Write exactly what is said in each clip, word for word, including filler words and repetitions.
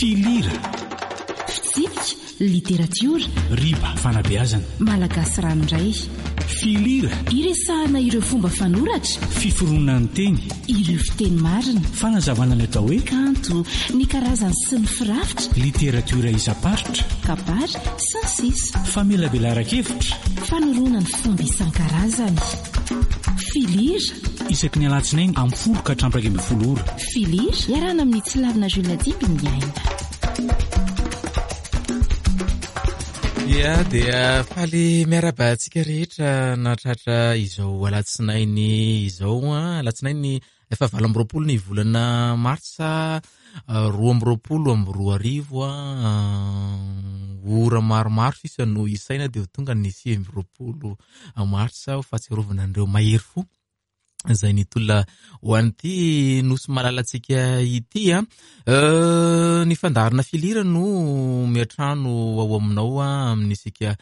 Filira. Fitsipika, literatiora. Riba, fanabeazana. Malagasy ranoray. Filira. Iresahana ireo fomba fanoratra. Fiforonan'ny teny. Ireo fiteny marina. Fanazavana ny atao hoe kanto, ny karazany sy ny firafitra. Literatiora isam-paritra. Kabary sy ny sisa. Famelabelaran-kevitra. Fanoroana ny fomba isan-karazany. Filira. Isaky ny alatsinainy amin'ny folo ka hatramin'ny iraika ambin'ny folo ora. Filira, iarahana amin'ny Tsilavina Jules Dimby ny aina. Ia, dia faly miarahaba antsika rehetra nahatratra izao alatsinainy izao. Alatsinainy efa valo amby roapolo ny volana martsa roa amby roapolo amby roa arivo. Ora maromaro sisa no isaina dia ho tonga ny sivy amby roapolo martsa ho fahatsiarovana an'ireo mahery fo izay nitolona ho an'ity nosy malalantsika ity. Ny fandaharana Filira no miantrano ao aminao amin'isika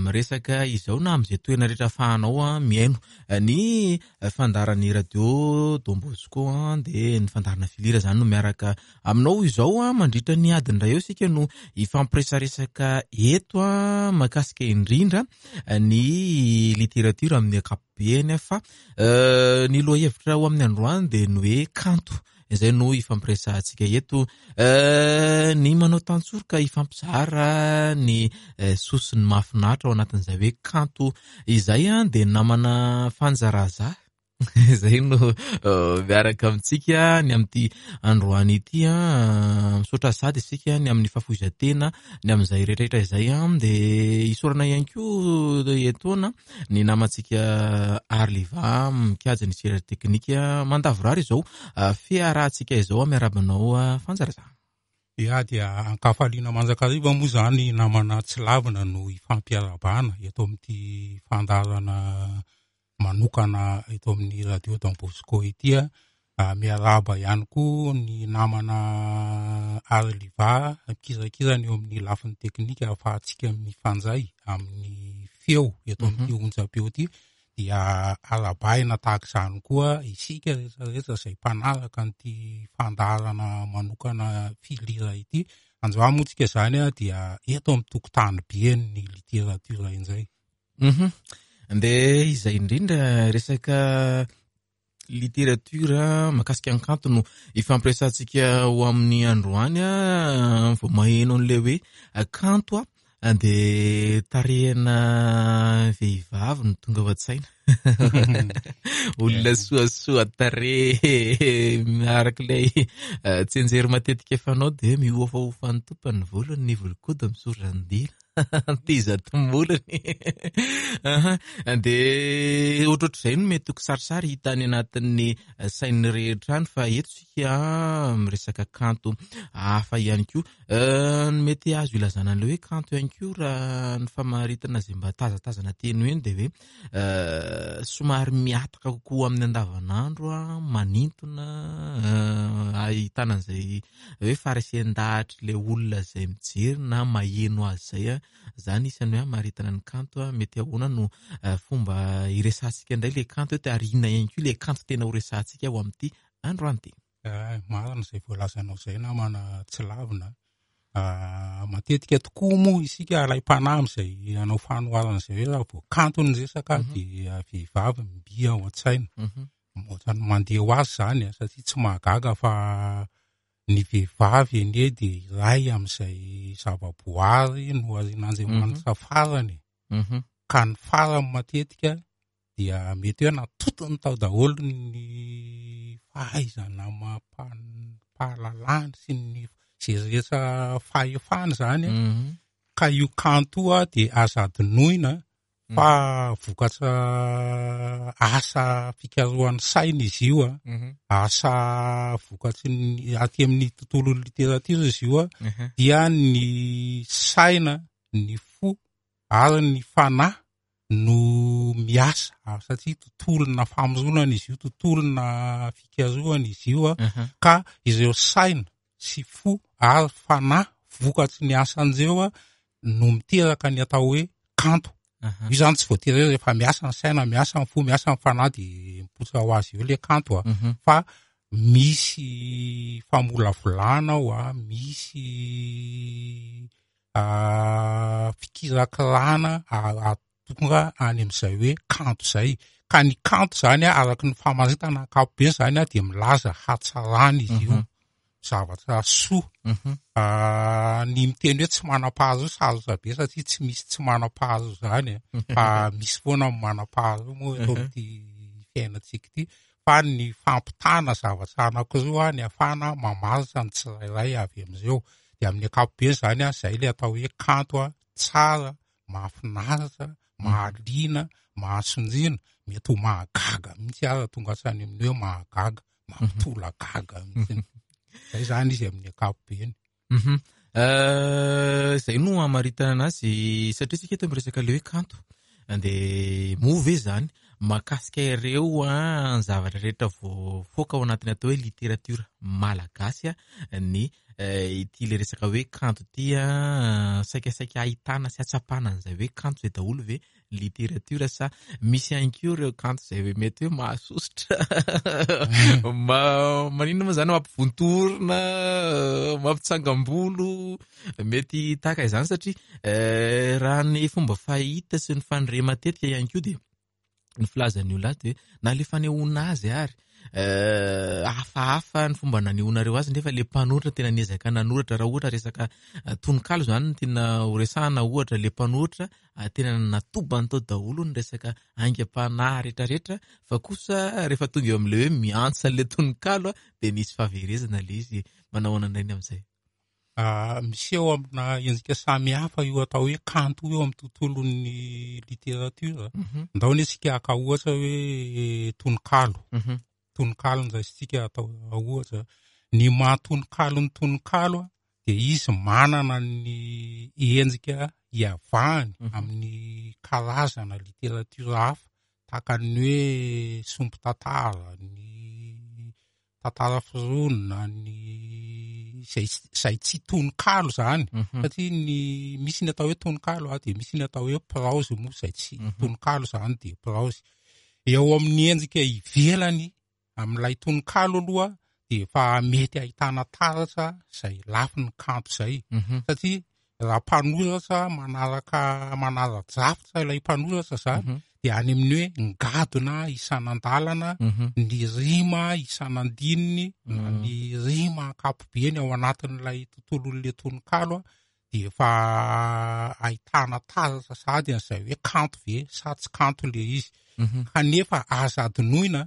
miresaka izao na amin'izay toerana rehetra ahafahanao mihaino ny fandaharan'ny radio Don Bosco. Dia ny fandaharana Filira izany no miaraka aminao izao mandritra ny adiny iray eo isika no hifampiresaresaka eto mahakasika indrindra ny literatiora amin'ny ankapobeny. Fa ny lohahevitra ho amin'ny androany dia ny hoe kanto izay no hifampiresahantsika eto. Ny manao tantsoroka hifampizara ny soa sy ny mahafinaritra ao anatin'izay hoe kanto izay dia namana Fanjaraza izay no miaraka amintsika ny amin'ity androany ity. Misaotra sady isika ny amin'ny fahafoizan-tena ny amin'izay rehetrarehetra izay. Dia isaorana ihany koa etoana ny namantsika Arliva mikajy ny sehatra teknika mandavorary izao fiarahantsika izao. Miarahaba anao Fanjaraza. Ia, dia ankafaliana mandrakariva moa izany namana Tsilavina no hifampiarahabana eto amin'ity fandaharana manokana eto amin'ny radio Don Bosco ity. Miarahaba ihany koa ny namana Arliva mikirakirana eo amin'ny lafiny teknika ahafahantsika mifanjay amin'ny feo eto amin'ity onjam-peo ity. Dia arahabaina tahaka izany koa isika rehetrarehetra izay mpanaraka an'ity fandaharana manokana Filira ity. Androany moa tsika izany dia eto amin'ny tokotany be ny literatiora indray. Mhm. Dia izay indrindra resaka literatiora mahakasika ny kanto no ifampiresahantsika ho amin'ny androany. Vao maheno an'ilay hoe kanto dia tarehina vehivavy no tonga ao an-tsaina. Olona soasoa tarehy miaraka ilay tsenjery matetika fanao dia mihofahofa ny tompony ny volony, ny volon-kodiny misoran-dila. Teza tomolony. Dia ohatrohatr'izay no mety ho kisarisary hita any anatin'ny sain'ny rehetra any, fa eto isika miresaka kanto hafa ihany koa. Ny mety azo ilazana an'ilay hoe kanto ihany koa raha ny famaritana izay mba tazatazana teny hoe dia hoe somary mihataka kokoa amin'ny andavanandro, manintona, ahitana an'izay hoe faharesen-dahatry ilay olona izay mijery na maheno azy izay. Izany isan'ny hoe hamaritana ny kanto. Mety ahoana no fomba iresahantsika indray ilay kanto eto, ary inona ihany koa ilay kanto tena ho resahantsika ho amin'ity androany ity? Marina izay voalazanao izay namana Tsilavina. Matetika tokoa moa isika alaim-panahy amin'izay hanao fanoharana izay hoe raha vao kanto ny resaka dia vehivavy mby ao an-tsaina. Ohatran'ny mandeha ho azy izany satria tsy mahagaga fa ny vehivavy anie dia iray amin'izay zava-boary noharian'Andriamanitra farany. Ka ny farany matetika dia mety hoe natotony tao daholo ny fahaizana amam-pahalalana sy ny izay rehetra fahefana izany. Ka io kanto io dia aza adinoina fa vokatra asa fikarohan'ny saina izy io, asa vokatry ny aty amin'ny tontolon'ny literatiora izy io, dia ny saina, ny fo ary ny fanahy no miasa, satria tontolona famoronana izy io, tontolona fikarohana izy io, ka ireo saina sy fo ary fanahy vokatry ny asan'ireo no miteraka ny atao hoe kanto. Io zany tsy voatery hoe rehefa miasa ny saina, miasa ny fo, miasa ny fanahy dia mipoitra ho azy eo ilay kanto, fa Misy famolavolana ao a, misy fikirakirana tonga any amin'izay hoe kanto izay. Ka ny kanto zany a, araky ny famaritana ankapobeny zany a, dia milaza hatsarana izy io, zavatra soa. Ny miteny hoe tsy manam-paharoa sarotra be satria tsy misy tsy manam-paharoa zany a, fa misy foana ny manam-paharoa moa eto amin'ity fiainantsika ity. Fa ny fampitana zavatra anankiroa ny ahafahana mamaritra ny tsirairay avy amin'ireo. Dia amin'ny ankapobeny zany a, zay ilay atao hoe kanto a, tsara, mahafinaritra, mahaliana, mahasondriana, mety ho mahagaga mihitsy aza, tonga hatrany amin'ny hoe mahagaga, mampitolagaga mihitsy. Zay zany izy amin'ny ankapobeny. Zay no hamaritana anazy satria tsika eto miresaka le hoe kanto. Dia moa ve zany mahakasika ireo a ny zavatra rehetra voafoaka ao anatin'ny atao hoe literatiora malagasy a ny ity le resaka hoe kanto ity a, saikasaika ahitana sy atsapana an'izay hoe kanto izay daholo ve literatiora sa misy ihany koa ireo kanto izay hoe mety hoe mahasosotra ma- maninona moa zany mampivontorona, mampitsangam-bolo, mety tahaka izany satria raha ny fomba fahita sy ny fandre matetika ihany koa dia ny filazan'ny olona azy dia na le fanehoana azy ary hafahafa ny fomba nanehoanareo azy nefa le mpanoratra tena niezaka nanoratra. Raha ohatra resaka tononkalo zany no tiana ho resahana, ohatra le mpanoratra tena natobany tao daholo ny resaka aingam-panahy rehetrarehetra, fa kosa rehefa tonga eo amin'ilay hoe miantsa an'ilay tononkalo dia nisy fahaverezana le izy. Manao ahoana indray ny amin'izay? Miseho amina endrika samihafa io atao hoe kanto io amin'ny tontolon'ny literatiora. Ndao anie isika haka ohatra hoe tononkalo. Tononkalo no raisintsika atao ohatra. Ny maha tononkalo ny tononkalo dia izy manana ny endrika iavahany amin'ny karazana literatiora hafa, tahaka ny hoe sombin-tantara, ny tantara foronina, ny izay, izay tsy tononkalo zany. Satria ny misy ny atao hoe tononkalo a, dia misy ny atao hoe praozy moa izay tsy tononkalo zany dia praozy. Eo amin'ny endrika ivelany amin'ilay tononkalo aloha dia efa mety ahitana taratra izay lafiny kanto izay. Satria raha mpanoratra manaraka manara-drafitra ilay mpanoratra zany dia any amin'ny hoe ngadona isan'andalana, ny rima isan'andininy, na ny rima ankapobeny ao anatin'ilay tontolon'ilay tononkalo a, dia efa ahitana taratra sahady an'izay hoe kanto ve sa tsy kanto le izy. Kanefa aza adinoina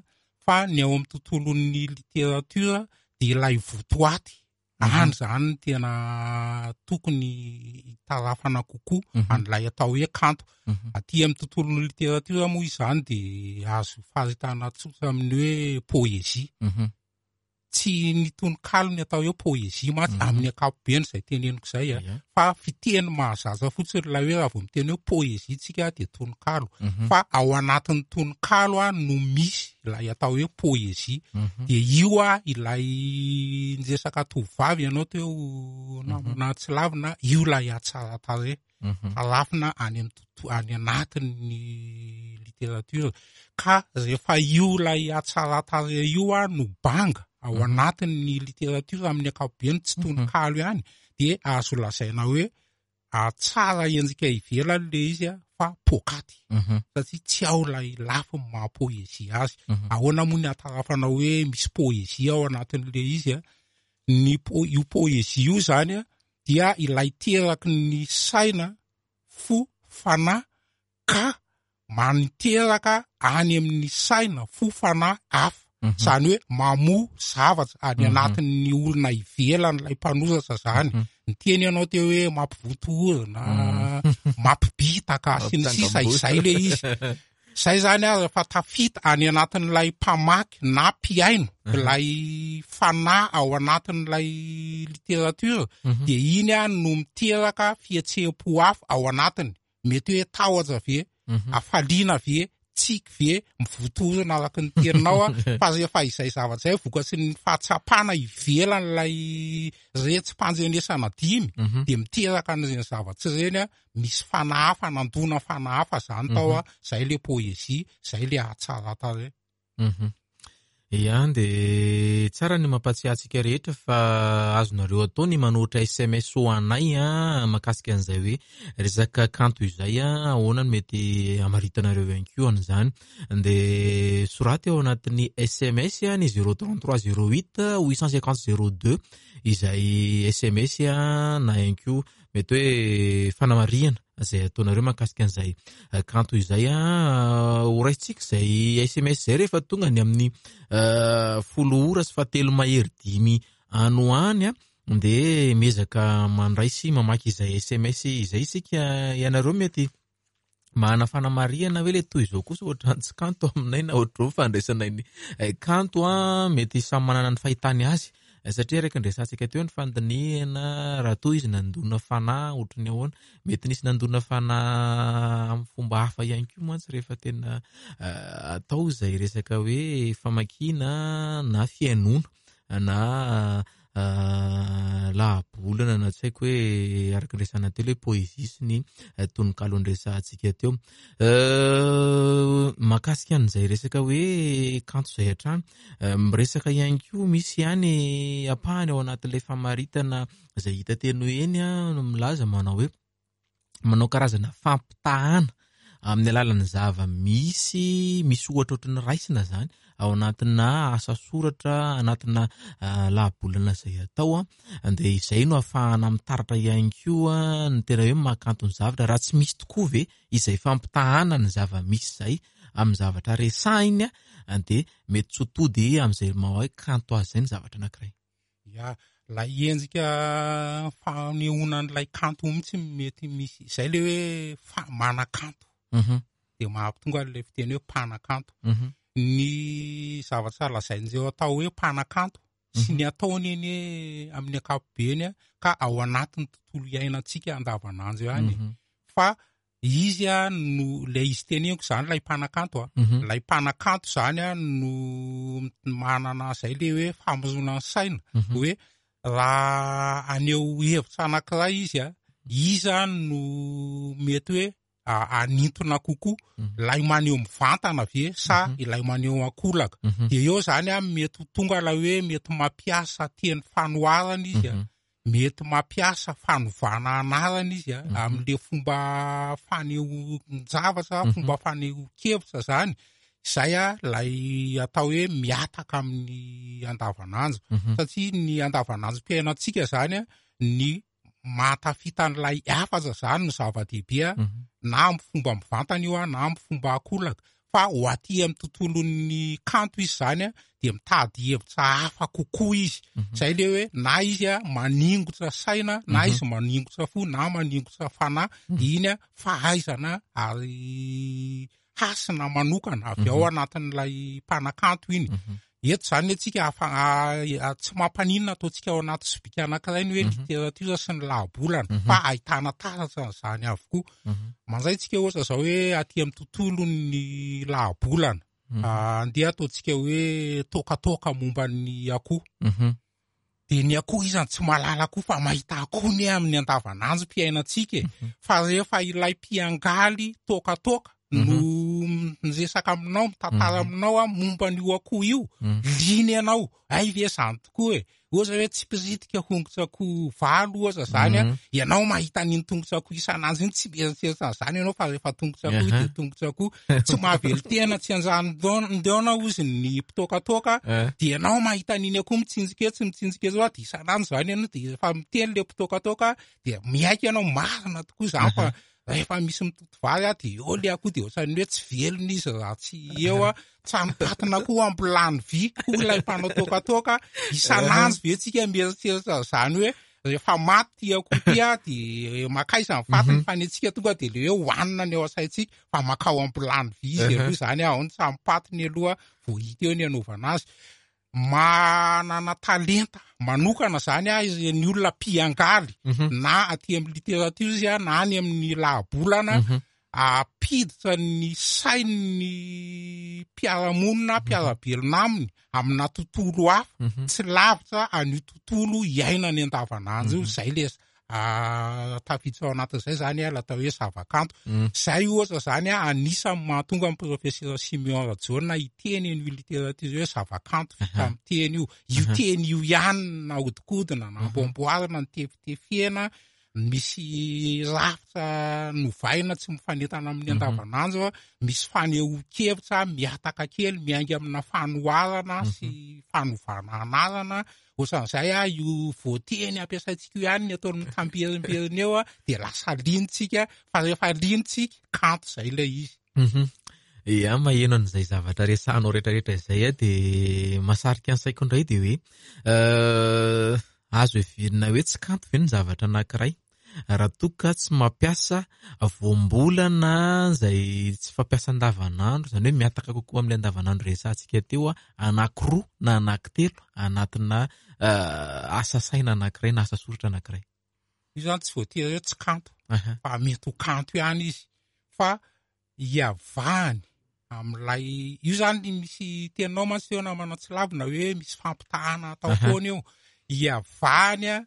fa ny ao amin'ny tontolon'ny literatiora dia ilay votoaty any zany no tena tokony hitarafana kokoa an'ilay atao hoe kanto. Aty amin'ny tontolon'ny literatiora moa izany dia azo faritana tsotra amin'ny hoe poezia. Tsy ny tononkalo ny atao hoe poezia mantsy amin'ny ankapobeny izay teneniko izay a, fa fiteny mahazatra fotsiny ilay hoe raha vao miteny hoe poezia tsika dia tononkalo, fa ao anatin'ny tononkalo a no misy ilay atao hoe poezia. Dia io a ilay niresaka tovovavy ianao teo namana tsy lavina, io ilay hatsaran-tarehy tarafina any amin'ny toto-, any anatin'ny literatiora. Ka rehefa io ilay hatsaran-tarehy io a no banga ao anatin'ny literatiora amin'ny ankapobeny, tsy tononkalo ihany, dia azo lazaina hoe tsara endrika ivelany le izy a, fa pokaty. Satria tsy ao ilay lafiny maha poezia azy. Ahoana moa ny ahatarafana hoe misy poezia ao anatin'le izy a? Ny po-, io poezia io zany a dia ilay teraky ny saina, fo, fanahy, ka maniteraka any amin'ny saina, fo, fanahy hafa. Zany hoe mamoa zavatra any anatin'ny olona ivelan'ilay mpanoratra zany. Ny teny ianao teo hoe mampivotohorona, mampibitaka sy ny sisa, izay le izy. Zay zany a rehefa tafita any anatin'ilay mpamaky na mpihaino ilay fanahy ao anatin'ilay literatiora, dia iny a no miteraka fihetseham-po hafa ao anatiny. Mety hoe tahotra ve, hafaliana ve, tsiky ve, mivotohorona araka ny teninao a, fa rehefa izay zavatra izay vokatry ny fahatsapana ivelan'ilay retsi-pandrenesana dimy, dia miteraka an'ireny zavatra ireny a, misy fanahy hafa, nandona fanahy hafa zany tao a, zay le poezia, zay le hatsaran-tarehy. Ia, de tsara ny mampatsiahy antsika rehetra fa azonareo atao ny manoratra S M S ho anay a, mahakasika an'izay hoe resaka kanto izay a, ahoana no mety hamaritanareo ihany koa an'izany. De soraty ao anatin'ny S M S a, ny zéro trente-trois zéro huit huit cent cinquante zéro deux izay S M S a, na ihany koa mety hoe fanamarihana izay ataonareo mahakasika an'izay kanto izay a. Ho raisitsika izay S M S izay rehefa tonga ny amin'ny, eh, folo ora sy fahatelo mahery dimy any ho any a, de miezaka mandray sy mamaky izay S M S izay isika. Ianareo mety manana fanamarihana hoe le toy izao kosa ohatran'ny tsy kanto aminay na ohatr'izao fandraisanay ny, eh, kanto a, mety samy manana ny fahitany azy. Satria araka ny resahantsika teo ny fandinihana, raha toa izy nandona fanahy ohatry ny ahoana, mety nisy nandona fanahy amin'ny fomba hafa ihany koa mantsy rehefa tena, eh, atao izay resaka hoe famakiana na fihainoana na, eh, lahabolana na tsy haiko hoe araka ny resahana teo hoe poezia sy ny, eh, tononkalo noresahantsika teo. Eh, mahakasika an'izay resaka hoe kanto izay hatrany, eh, miresaka ihany koa misy ihany ampahany ao anatin'ilay famaritana izay hita teny hoe eny a, no milaza manao hoe manao karazana fampitahana amin'ny alalan'ny zava-misy, misy ohatra ohatry ny raisina zany ao anatina asa soratra, anatina, ah, lahabolana izay atao a, dia izay no ahafahana mitaratra ihany koa ny tena hoe mahakanto ny zavatra. Raha tsy misy tokoa ve izay fampitahana ny zava-misy izay amin'ny zavatra resahiny a, dia mety tsy ho tody amin'izay maha hoe kanto azy izay ny zavatra anankiray. Ya, ilay endrika fanehoana an'ilay kanto mihitsy mety misy, izay ilay hoe fa-, manakanto. Mhm. Dia mahatonga an'ilay fiteny hoe mpanakanto. Mhm. Ny zavatra lazain'izay atao hoe mpanakanto sy ny ataony eny amin'ny ankapobeny a, ka ao anatin'ny tontolo iainantsika andavanandro ihany. Mhm. Fa izy a no ilay izy teneniko izany ilay mpanakanto a. Mhm. Ilay mpanakanto izany a no manana izay ilay hoe famoronana ny saina. Mhm. Hoe raha haneho hevitra anankiray izy a, iza no mety hoe a-, anintona kokoa, Mhm. ilay maneho mivantana ve sa Mhm. ilay maneho ankolaka. Mhm. Dia eo izany a mety ho tonga ilay hoe mety mampiasa teny fanoharana izy a, Mhm. mety mampiasa fanovana anarana izy a, Mhm. amin'ilay fomba fanehoan-javatra, Mhm. fomba fanehoan-kevitra izany. Izay a ilay atao hoe miataka amin'ny andavanandro. Mhm. Satria ny andavanandrom-piainantsika izany a, ny mahatafita an'ilay hafatra izany no zava-dehibe a, Mhm. na amin'ny fomba mivantana io a, na amin'ny fomba ankolaka. Fa ho aty amin'ny tontolon'ny kanto izy izany a, dia mitady hevitra hafa kokoa izy. Mhm. Izay ilay hoe na izy a maningotra saina, na Mhm. izy maningotra fo, na maningotra fanahy, Mhm. dia iny a fahaizana ary hasina manokana avy ao Mhm. anatin'ilay mpanakanto iny. Mhm. Eto izany antsika afa-, a-, a-, tsy mampaninona ataontsika ao anaty sobika anankiray ny hoe Mhm. literatiora sy ny lahabolana, Mhm. fa ahitana taratra an'izany avokoa. Mhm. Mandray tsika ohatra izao hoe aty amin'ny tontolon'ny lahabolana, Mhm. ah, andeha ataontsika hoe tokatoka momba ny akoho. Mhm. Dia ny akoho izany tsy mahalala akoho fa mahita akoho ny amin'ny andavanandrom-piainantsika e. Mhm. Fa rehefa ilay mpiangaly tokatoka Mhm. no miresaka aminao, mitantara Mhm. aminao a momba an'io akoho io, Mhm. liana ianao, ay ve izany tokoa e. Ohatra hoe tsy mpiritika hongotr'akoho valo ohatra izany a, Mhm. ianao mahita an'iny tongotr'akoho isan'andro iny, tsy mieritreritra an'izany ianao fa rehefa tongotr'akoho Aha. dia tongotr'akoho. Tsy mahavelon-tena, tsy anjanondeona ozy ny mpitokatoka, Eh. dia ianao mahita an'iny akoho mitsinjika etsy, mitsinjika etsy, dia isan'andro izany ianao, dia rehefa miteny ilay mpitokatoka, dia miaiky ianao marina tokoa izany fa Aha. rehefa misy mitoto vary a, dia eo ilay akoho dia ohatran'ny hoe tsy velona izy raha tsy eo a, tranopatina koa ampilany vy koa ilay mpanao tokatoka. Isan'andro ve tsika mieritreritra izany hoe rehefa maty ty akoho ty a, dia makaiza ny fatiny, Mhm. fa ny antsika tonga dia ilay hoe hohanina ny ao an-tsaintsika, fa makao ampilany vy izy Aha. aloha izany a, ao ny tranompatiny aloha vao hita eo ny anaovana azy. Manana talenta manokana izany a, izy ny olona mpiangaly, Mhm. na aty amin'ny literatiora izy a, na any amin'ny lahabolana, Mhm. ampiditra ny sain'ny mpiara-monina, Mhm. mpiara-belona aminy amina tontolo hafa, Mhm. tsy lavitra an'io tontolo iainany andavanandro io. Mhm. Izay ilay Tafiditra ao anatin'izay zany a, atao hoe zavakanto zay ohatra zany a, anisany mahatonga amin'ny professeur Simeon Rajaona hiteny an'io littérature hoe zavakanto vita amin'ny teny io. Io teny io ihany nahodinkodina, namboamboarina, nitefitefena, misy rafitra novaina tsy mifanentana amin'ny andavanandro a, misy fanehoan-kevitra miataka kely miainga amina fanoharana sy fanovana anarana ohatran'izay a. Io voateny ampiasaintsika io ihany ny ataony mitamberimberina eo a, de lasa linitsika, fa rehefa linitsika kanto zay ilay izy. Ia, maheno an'izay zavatra resahanao rehetrarehetra izay a, de mahasarika ny saiko indray de hoe azo heverina hoe tsy kanto ve ny zavatra anankiray raha toa ka tsy mampiasa voambolana izay tsy fampiasa andavanandro, izany hoe miataka kokoa amin'ilay andavanandro resahantsika teo a, anankiroa na anankitelo anatina asa saina anankiray na asa soratra anankiray? Io zany tsy voatery hoe tsy kanto, fa mety ho kanto ihany izy, fa iavahany amin'ilay io zany. Misy teninao mantsy eo namana tsy lavina hoe misy fampitahana atao foana eo, iavahany a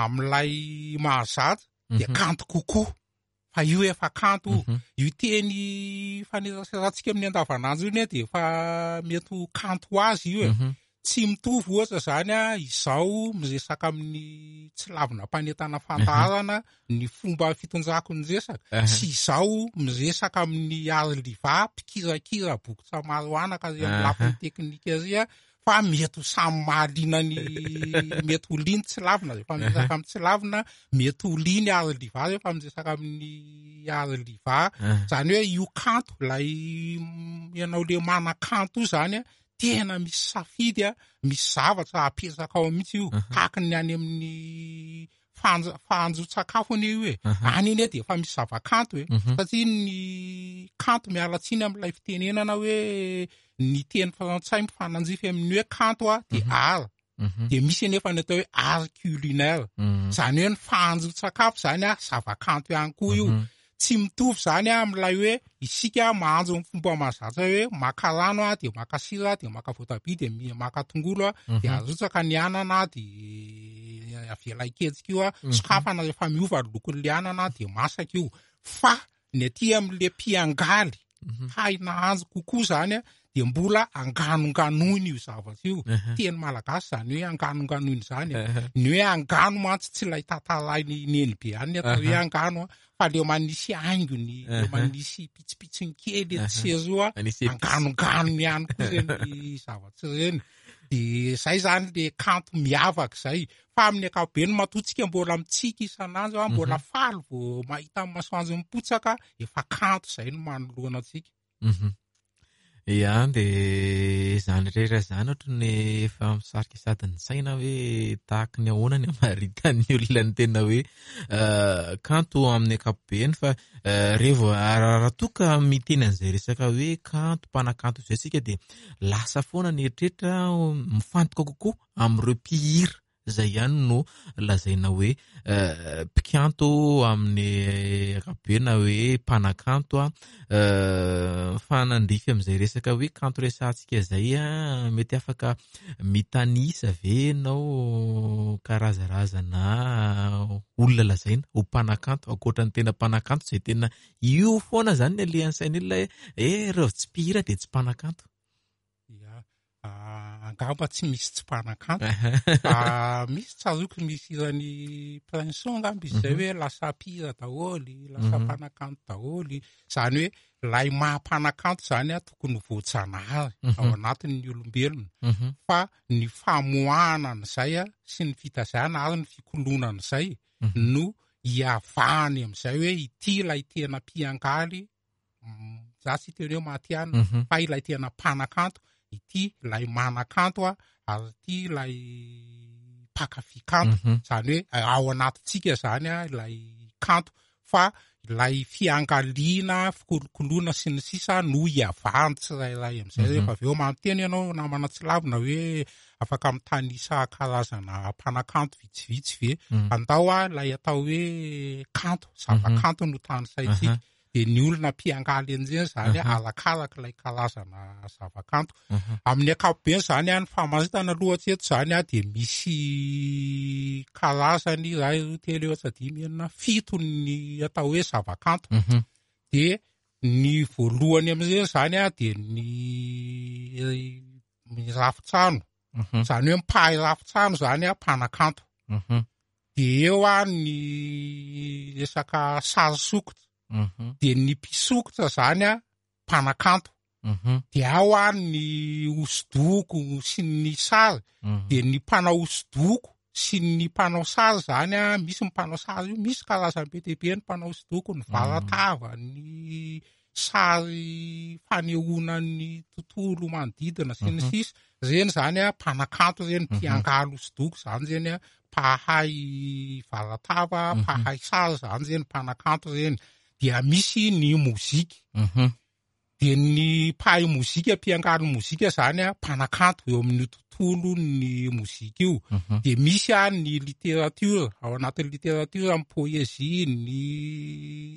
amin'ilay mahazatra de kanto kokoa, fa io efa kanto io teny faneraserantsika amin'ny andavanandro io ne de efa mety ho kanto ho azy io e. Tsy mitovy ohatra zany a, izao miresaka amin'ny tsy lavina mpanentana fandaharana ny fomba fitondrako ny resaka, sy izao miresaka amin'ny Arliva mpikirakira bokotra maro anaka ry amin'ny lafiny teknika ry a, fa mety ho samy mahaliana ny, mety ho liny tsy lavina rehefa miresaka amin'ny tsy lavina, mety ho liny Arliva rehefa miresaka amin'ny Arliva. Zany hoe io kanto ilay ianao le manakanto io zany a, tena misy safidy a, misy zavatra apetraka ao mihitsy io, tahaka ny any amin'ny fanjo- fahanjon-tsakafo anie io e. Any anie de efa misy zavakanto e, satria ny kanto, miala tsiny amin'ilay fitenenana hoe ny teny frantsay mifanandrify amin'ny hoe kanto a, de art, de misy anefa ny atao hoe art culinaire, zany hoe ny fahanjon-tsakafo zany a zavakanto ihany koa io. Tsy mitovy zany a amin'ilay hoe isika mahanjo amin'ny fomba mahazatra hoe maka rano a, de maka sira, de maka voatabia, de mi- maka tongolo a, de arotsaka ny anana, de avela hiketsika io a, sokafana rehefa miova ny lokon'le anana de masaka io. Fa ny aty amin'le mpiangaly hay nahanjo kokoa zany a, de mbola anganonganoina io zavatra io. Teny malagasy zany hoe anganonganoina zany e. Ny hoe angano mantsy tsy ilay tantarainy neny be any ny atao hoe angano a, fa le manisy haingony, le manisy pitsopitsony kely etsy sy eroa, Manisy épice. anganongano ihany koa reny zavatra ireny. De zay zany le kanto miavaka zay. Fa amin'ny ankapobeny matoa tsika mbola mitsiky isan'andro a, mbola faly vao mahita ny masoandro mipotsaka, efa kanto zay no manoloana antsika. Mhm. Ia, de zany rehetra zany ohatran'ny efa misarika sady ny saina hoe tahaky ny ahoana ny hamaritan'ny olona ny tena hoe kanto amin'ny ankapobeny. Fa rehefa raha toa ka miteny an'izay resaka hoe kanto, mpanakanto izay tsika, de lasa foana ny eritreritra mifantoka kokoa amin'ireo mpihira izay ihany no lazaina hoe mpikanto amin'ny ankapobeny na hoe mpanakanto a. Mifanandrify amin'izay resaka hoe kanto resahantsika izay a, mety afaka mitanisa ve ianao karazarazana olona lazaina ho mpanakanto ankoatra ny tena mpanakanto izay tena io foana zany ny alehan'ny sain'olona hoe eh reo tsy mpihira de tsy mpanakanto? Ia, angamba tsy misy tsy mpanakanto. Fa misy tsaroako misy hiran'ny Prince angamba izy zay hoe lasa mpihira daholo, lasa mpanakanto daholo. Zany hoe ilay maha mpanakanto zany a tokony ho voajanahary ao anatin'ny olombelona, fa ny famoahana an'izay a sy ny fitazana ary ny fikoloana an'izay no iavahany amin'izay hoe ity ilay tena mpiangaly, za tsy hiteny hoe matihanina, fa ilay tena mpanakanto, ity ilay manakanto a, ary ity ilay mpankafy kanto. Zany hoe ao anatintsika zany a ilay kanto, fa ilay fiangaliana, fikolokoloana sy ny sisa no iavahany tsirairay amin'izay. Rehefa avy eo manonteny ianao namana tsy lavina hoe afaka mitanisa karazana mpanakanto vitsivitsy ve, andao a ilay atao hoe kanto, zavakanto no tanisaintsika. De ny olona mpiangaly an'izany zany arakaraka ilay karazana zavakanto. Amin'ny ankapobeny zany a, ny famaritana aloha hatreto zany a, de misy karazany iray, roa, telo, efatra, dimy, enina, fito ny atao hoe zavakanto. De ny voalohany amin'izay zany a, de ny ny rafitrano, zany hoe mpahay rafitrano zany a, mpanakanto. De eo a ny resaka sary sokitra, de ny mpisokitra zany a mpanakanto. De ao a ny hosodoko sy ny sary, de ny mpanao hosodoko sy ny mpanao sary zany a, misy ny mpanao sary io, misy karazany be dia be ny mpanao hosodoko, ny varatava, ny sary fanehoana ny tontolo manodidina sy ny sisa. Reny zany a mpanakanto reny, mpiangaly hosodoko zany reny a, mpahay varatava, mpahay sary zany reny, mpanakanto reny. Dia misy ny mozika, de ny mpahay mozika, mpiangaly mozika zany a mpanakanto eo amin'ny tontolo ny mozika io. De misy a ny literatiora, ao anatin'ny literatiora ny poezia, ny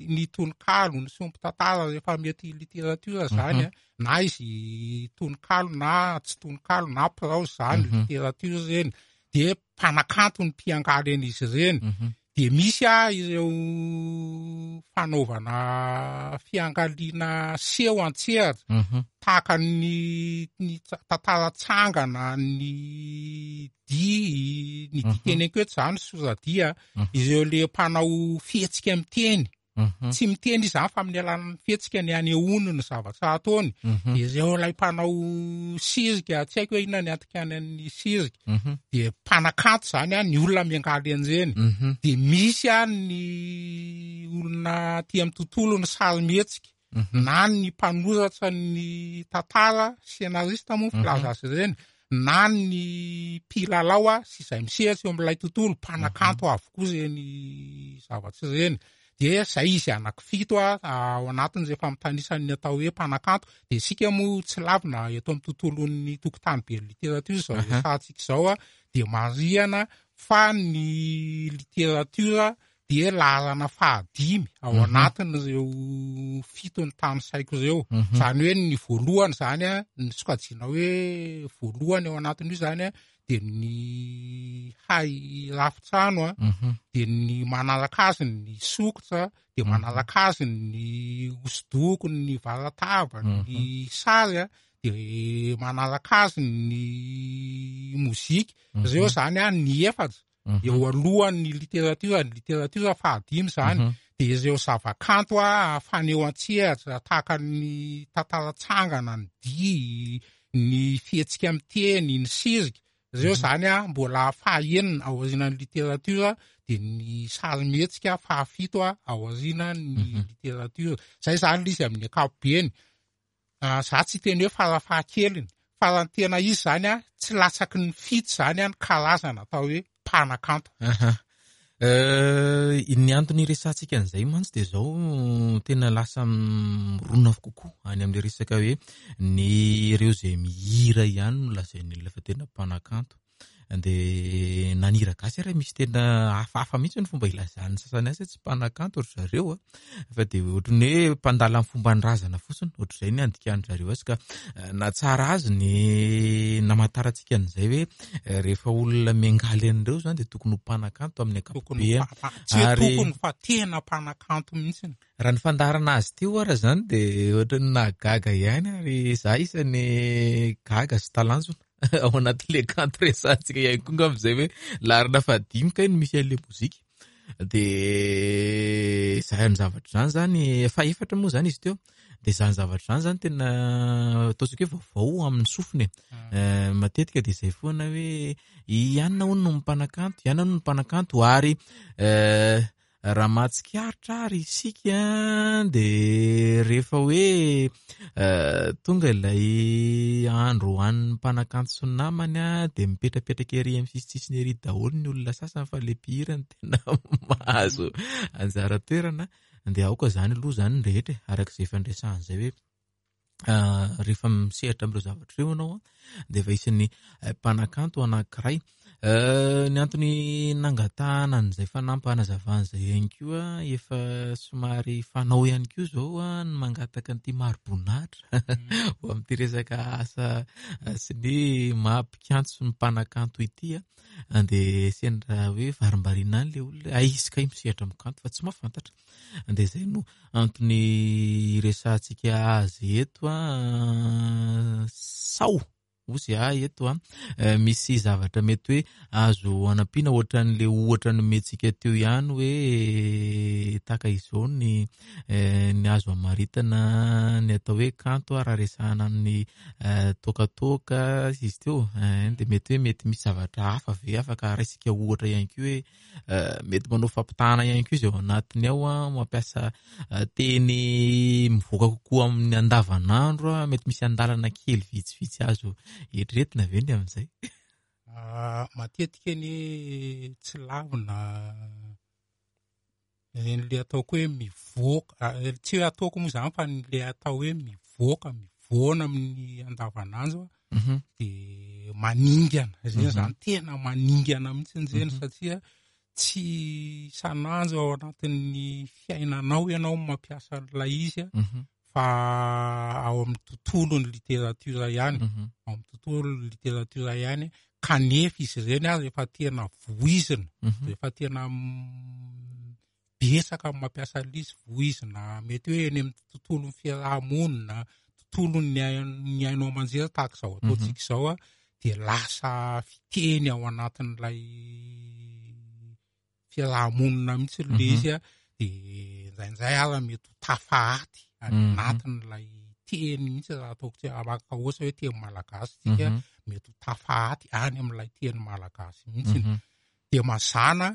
ny tononkalo, ny sombin-tantara rehefa mety literatiora zany a, na izy tononkalo na tsy tononkalo na prose zany, literatiora reny. De mpanakanto ny mpiangaly an'izy ireny. De misy a ireo fanaovana fiangaliana seho an-tsehatra, tahaka ny ny tantara tsangana, ny dihy, ny dihy teneniko eto zany soradia, ireo le mpanao fihetsika miteny. Tsy miteny izy zany fa amin'ny alalan'ny fihetsika ny anehoany ny zavatra ataony. De ireo ilay mpanao sirika, tsy haiko hoe inona ny antikany an'ny sirika, de mpanakanto zany a ny olona miangaly an'ireny. De misy a ny olona aty amin'ny tontolo ny sary mihetsika, na ny mpanoratra ny tantara, scénariste moa filaza azy ireny, na ny mpilalao a sy izay misehatra eo amin'ilay tontolo, mpanakanto avokoa ireny zavatra ireny. De zay izy anankifito a ao anatiny rehefa mitanisan'ny atao hoe mpanakanto. De isika moa tsy lavina eto amin'ny tontolon'ny tokotany be literatiora izao resahantsika izao a, de marihana fa ny literatiora de laharana fahadimy ao anatin'ireo fito ny tanisaiko ireo. Zany hoe ny voalohany zany a, ny sokajiana hoe voalohany ao anatin'io zany a, de ny hay rafitrano a, de ny manaraka azy ny sokitra, de manaraka azy ny hosodoko, ny varatava, ny sary a, de manaraka azy ny mozika. Ireo zany a ny efatra eo alohan'ny literatiora, ny literatiora fahadimy zany. De ireo zavakanto a faneho an-tsehatra tahaka ny tantara tsangana, ny dihy, ny fihetsika miteny, ny sirika, ireo zany a mbola fahaenina ao aorianan'ny literatiora, de ny sary mihetsika fahafito a ao aorianan'ny literatiora. Zay zany ilay izy amin'ny ankapobeny. Za tsy hiteny hoe farafahakeliny, fa raha ny tena izy zany a tsy latsaky ny fito zany a ny karazana atao hoe mpanakanto. Ny antony iresahantsika an'izay mantsy de zao, tena lasa mirona kokoa any amin'ilay resaka hoe ny ireo izay mihira ihany no lazain'ny olona fa tena mpanakanto. De na ny hira gasy ary misy tena hafahafa mihitsy ny fomba ilazan'ny sasany azy hoe tsy mpanakanto ry zareo a, fa de ohatran'ny hoe mpandala ny fomban-drazana fotsiny, ohatr'izay ny andikan-dry zareo azy. Ka na tsara azy ny namantarantsika an'izay hoe rehefa olona miangaly an'ireo zany de tokony ho mpanakanto amin'ny Tokony ankapobeny. ho mpa- tsy hoe Ary tokony fa tena mpanakanto mihitsy. Raha ny fandaharana azy teo ara zany de ohatran'ny nahagaga ihany, ary za isan'ny gaga sy talanjona ao anatin'ilay kanto resahantsika ihany koa angamba izay hoe laharana fahadimy kay no misy an'ilay mozika. De zany zavatra zany zany, fahefatra moa zany izy teo, de zany zavatra zany zany tena ataontsika hoe vaovao amin'ny sofiny e. Eh, matetika de izay foana hoe i anona hono no mpanakanto, i anona hono no mpanakanto. Ary eh, raha mahatsikaritra ary isika de rehefa hoe eh, tonga ilay andro ho an'ny mpanakanto sy ny namany a, de mipetrapetraka ery amin'ny sisisisiny ery daholo ny olona sasany, fa le mpihira no tena mahazo anjara toerana. De aoka zany aloha zany ny rehetra e, araka izay efa niresahan'izay hoe rehefa misehatra amin'ireo zavatra ireo ianao a, de efa isan'ny mpanakanto anankiray. Ny antony nangatahana an'izay fanampanazavan'izay ihany koa, efa somary fanao ihany koa izao ny mangataka an'ity mari-boninahitra ho amin'ity resaka asa sy ny maha mpikanto sy ny mpanakanto ity. Dia sendra hoe varimbariana any ilay olona, ay izy kay misehatra amin'ny kanto fa tsy mahafantatra. Dia izay no antony iresahantsika azy eto. Sao ozy ahy eto a, misy zavatra mety hoe azo anampiana ohatran'ilay ohatra nomentsika teo ihany hoe tahaka izao ny, ny azo amaritana ny atao hoe kanto raha resahana amin'ny toakatoaka izy teo, dia mety hoe mety misy zavatra hafa ve afaka raisika ohatra ihany koa hoe mety manao fampitahana ihany koa izy ao anatiny ao, mampiasa teny mivoaka kokoa amin'ny andavanandro, mety misy andalana kely vitsivitsy azo eritreretina ve ny amin'izay? Matetika ny tsy lavina le ataoko hoe mivoaka, tsy hoe ataoko moa izany fa le atao hoe mivoaka, mivoana amin'ny andavanandro dia maningana. Izay izany tena maningana mihitsy izany satria tsy isan'andro ao anatin'ny fiainanao ianao mampiasa an'ilay izy fa ao amin'ny tontolon'ny literatiora ihany, ao amin'ny tontolon'ny literatiora ihany, kanefa izy ireny ary efa tena voizina, efa tena betsaka mampiasa an'ilay izy, voizina mety hoe eny amin'ny tontolon'ny fiarahamonina, tontolon'ny ny haino aman-jery tahaka izao ataontsika izao, dia lasa fiteny ao anatin'ilay fiarahamonina mihitsy ilay izy, dia indraindray ary mety ho tafahaty any anatin'ilay teny mihitsy raha ataoko tsy afaka ohatra hoe teny malagasy tsika, mety ho tafahaty any amin'ilay teny malagasy mihitsy. Dia mazàna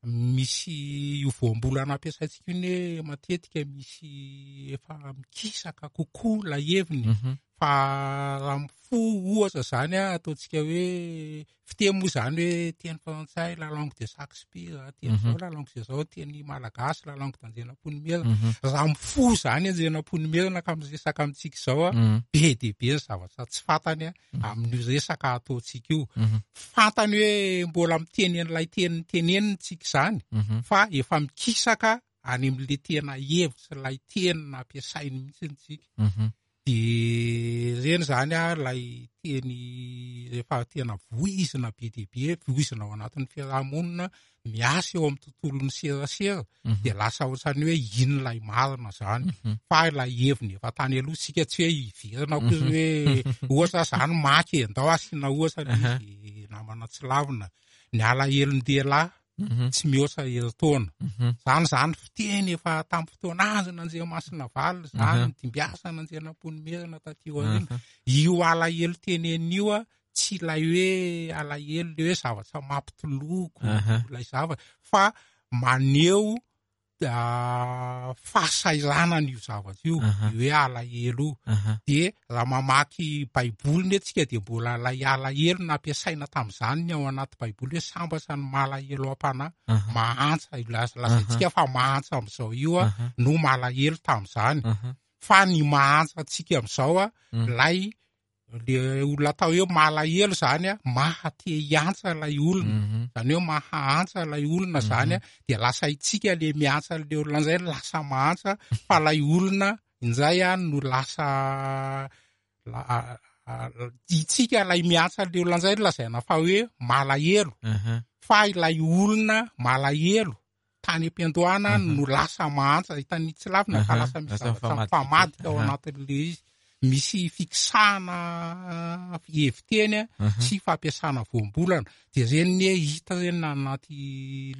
misy io voambolana ampiasaintsika io ny matetika misy efa mikisaka kokoa ilay heviny, fa raha mifoha ohatra izany ataontsika hoe fiteny moa izany hoe teny frantsay la langue de Shakespeare, teny zao la langue de zao, teny malagasy la langue d'Andrianampoinimerina. Raha mifoha izany Andrianampoinimerina ka miresaka amintsika izao, be dia be ny zavatra tsy fantany amin'io resaka ataontsika io. Fantany hoe mbola miteny an'ilay teny teneniny tsika izany, fa efa mikisaka any amin'ilay tena hevitra ilay teny nampiasainy mihitsy tsika. Dia ireny izany ilay teny rehefa tena voizina be dia be, voizina ao anatin'ny fiarahamonina, miasa eo amin'ny tontolon'ny serasera, dia lasa ohatran'ny hoe ino ilay marina izany, fa ilay heviny efa tany aloha tsika tsy hoe hiverina koa hoe ohatra izany maky ndao asiana ohatra izy namana tsy lavina, ny alahelon-dehilahy tsy mihoatra herintaona. Izany izany fiteny efa tamin'ny fotoana azon'Andriamasinavalona izany, dimbiasana Andrianampoinimerina taty aoriana. Io alahelo tenenina io tsy ilay hoe alahelo ilay hoe zavatra mampitoloko ilay zavatra, fa maneho fahasahiranana io zavatra io, io hoe alahelo io. Dia raha mamaky baiboly ne tsika dia mbola ilay alahelo nampiasaina tamin'izany ny ao anaty baiboly hoe sambatra ny malahelo am-panahy, mahantra, lazaintsika fa mahantra amin'izao io no malahelo tamin'izany. Fa ny mahantra antsika amin'izao ilay le olona atao hoe malahelo izany maha te hiantsa ilay olona, izany hoe mahaantsa ilay olona izany, dia lasa itsika le miantsa ilay olona indray lasa mahantra, fa ilay olona indray no lasa itsika ilay miantsa ilay olona indray lazaina fa hoe malahelo, fa ilay olona malahelo tany am-piandohana no lasa mahantra. Hitan'ny tsy lavina fa lasa misy zavatra mifamadika ao anatin'ilay izy. Misy fikisahana heviteny sy fampiasana voambolana. Dia ireny ny hita ireny na anaty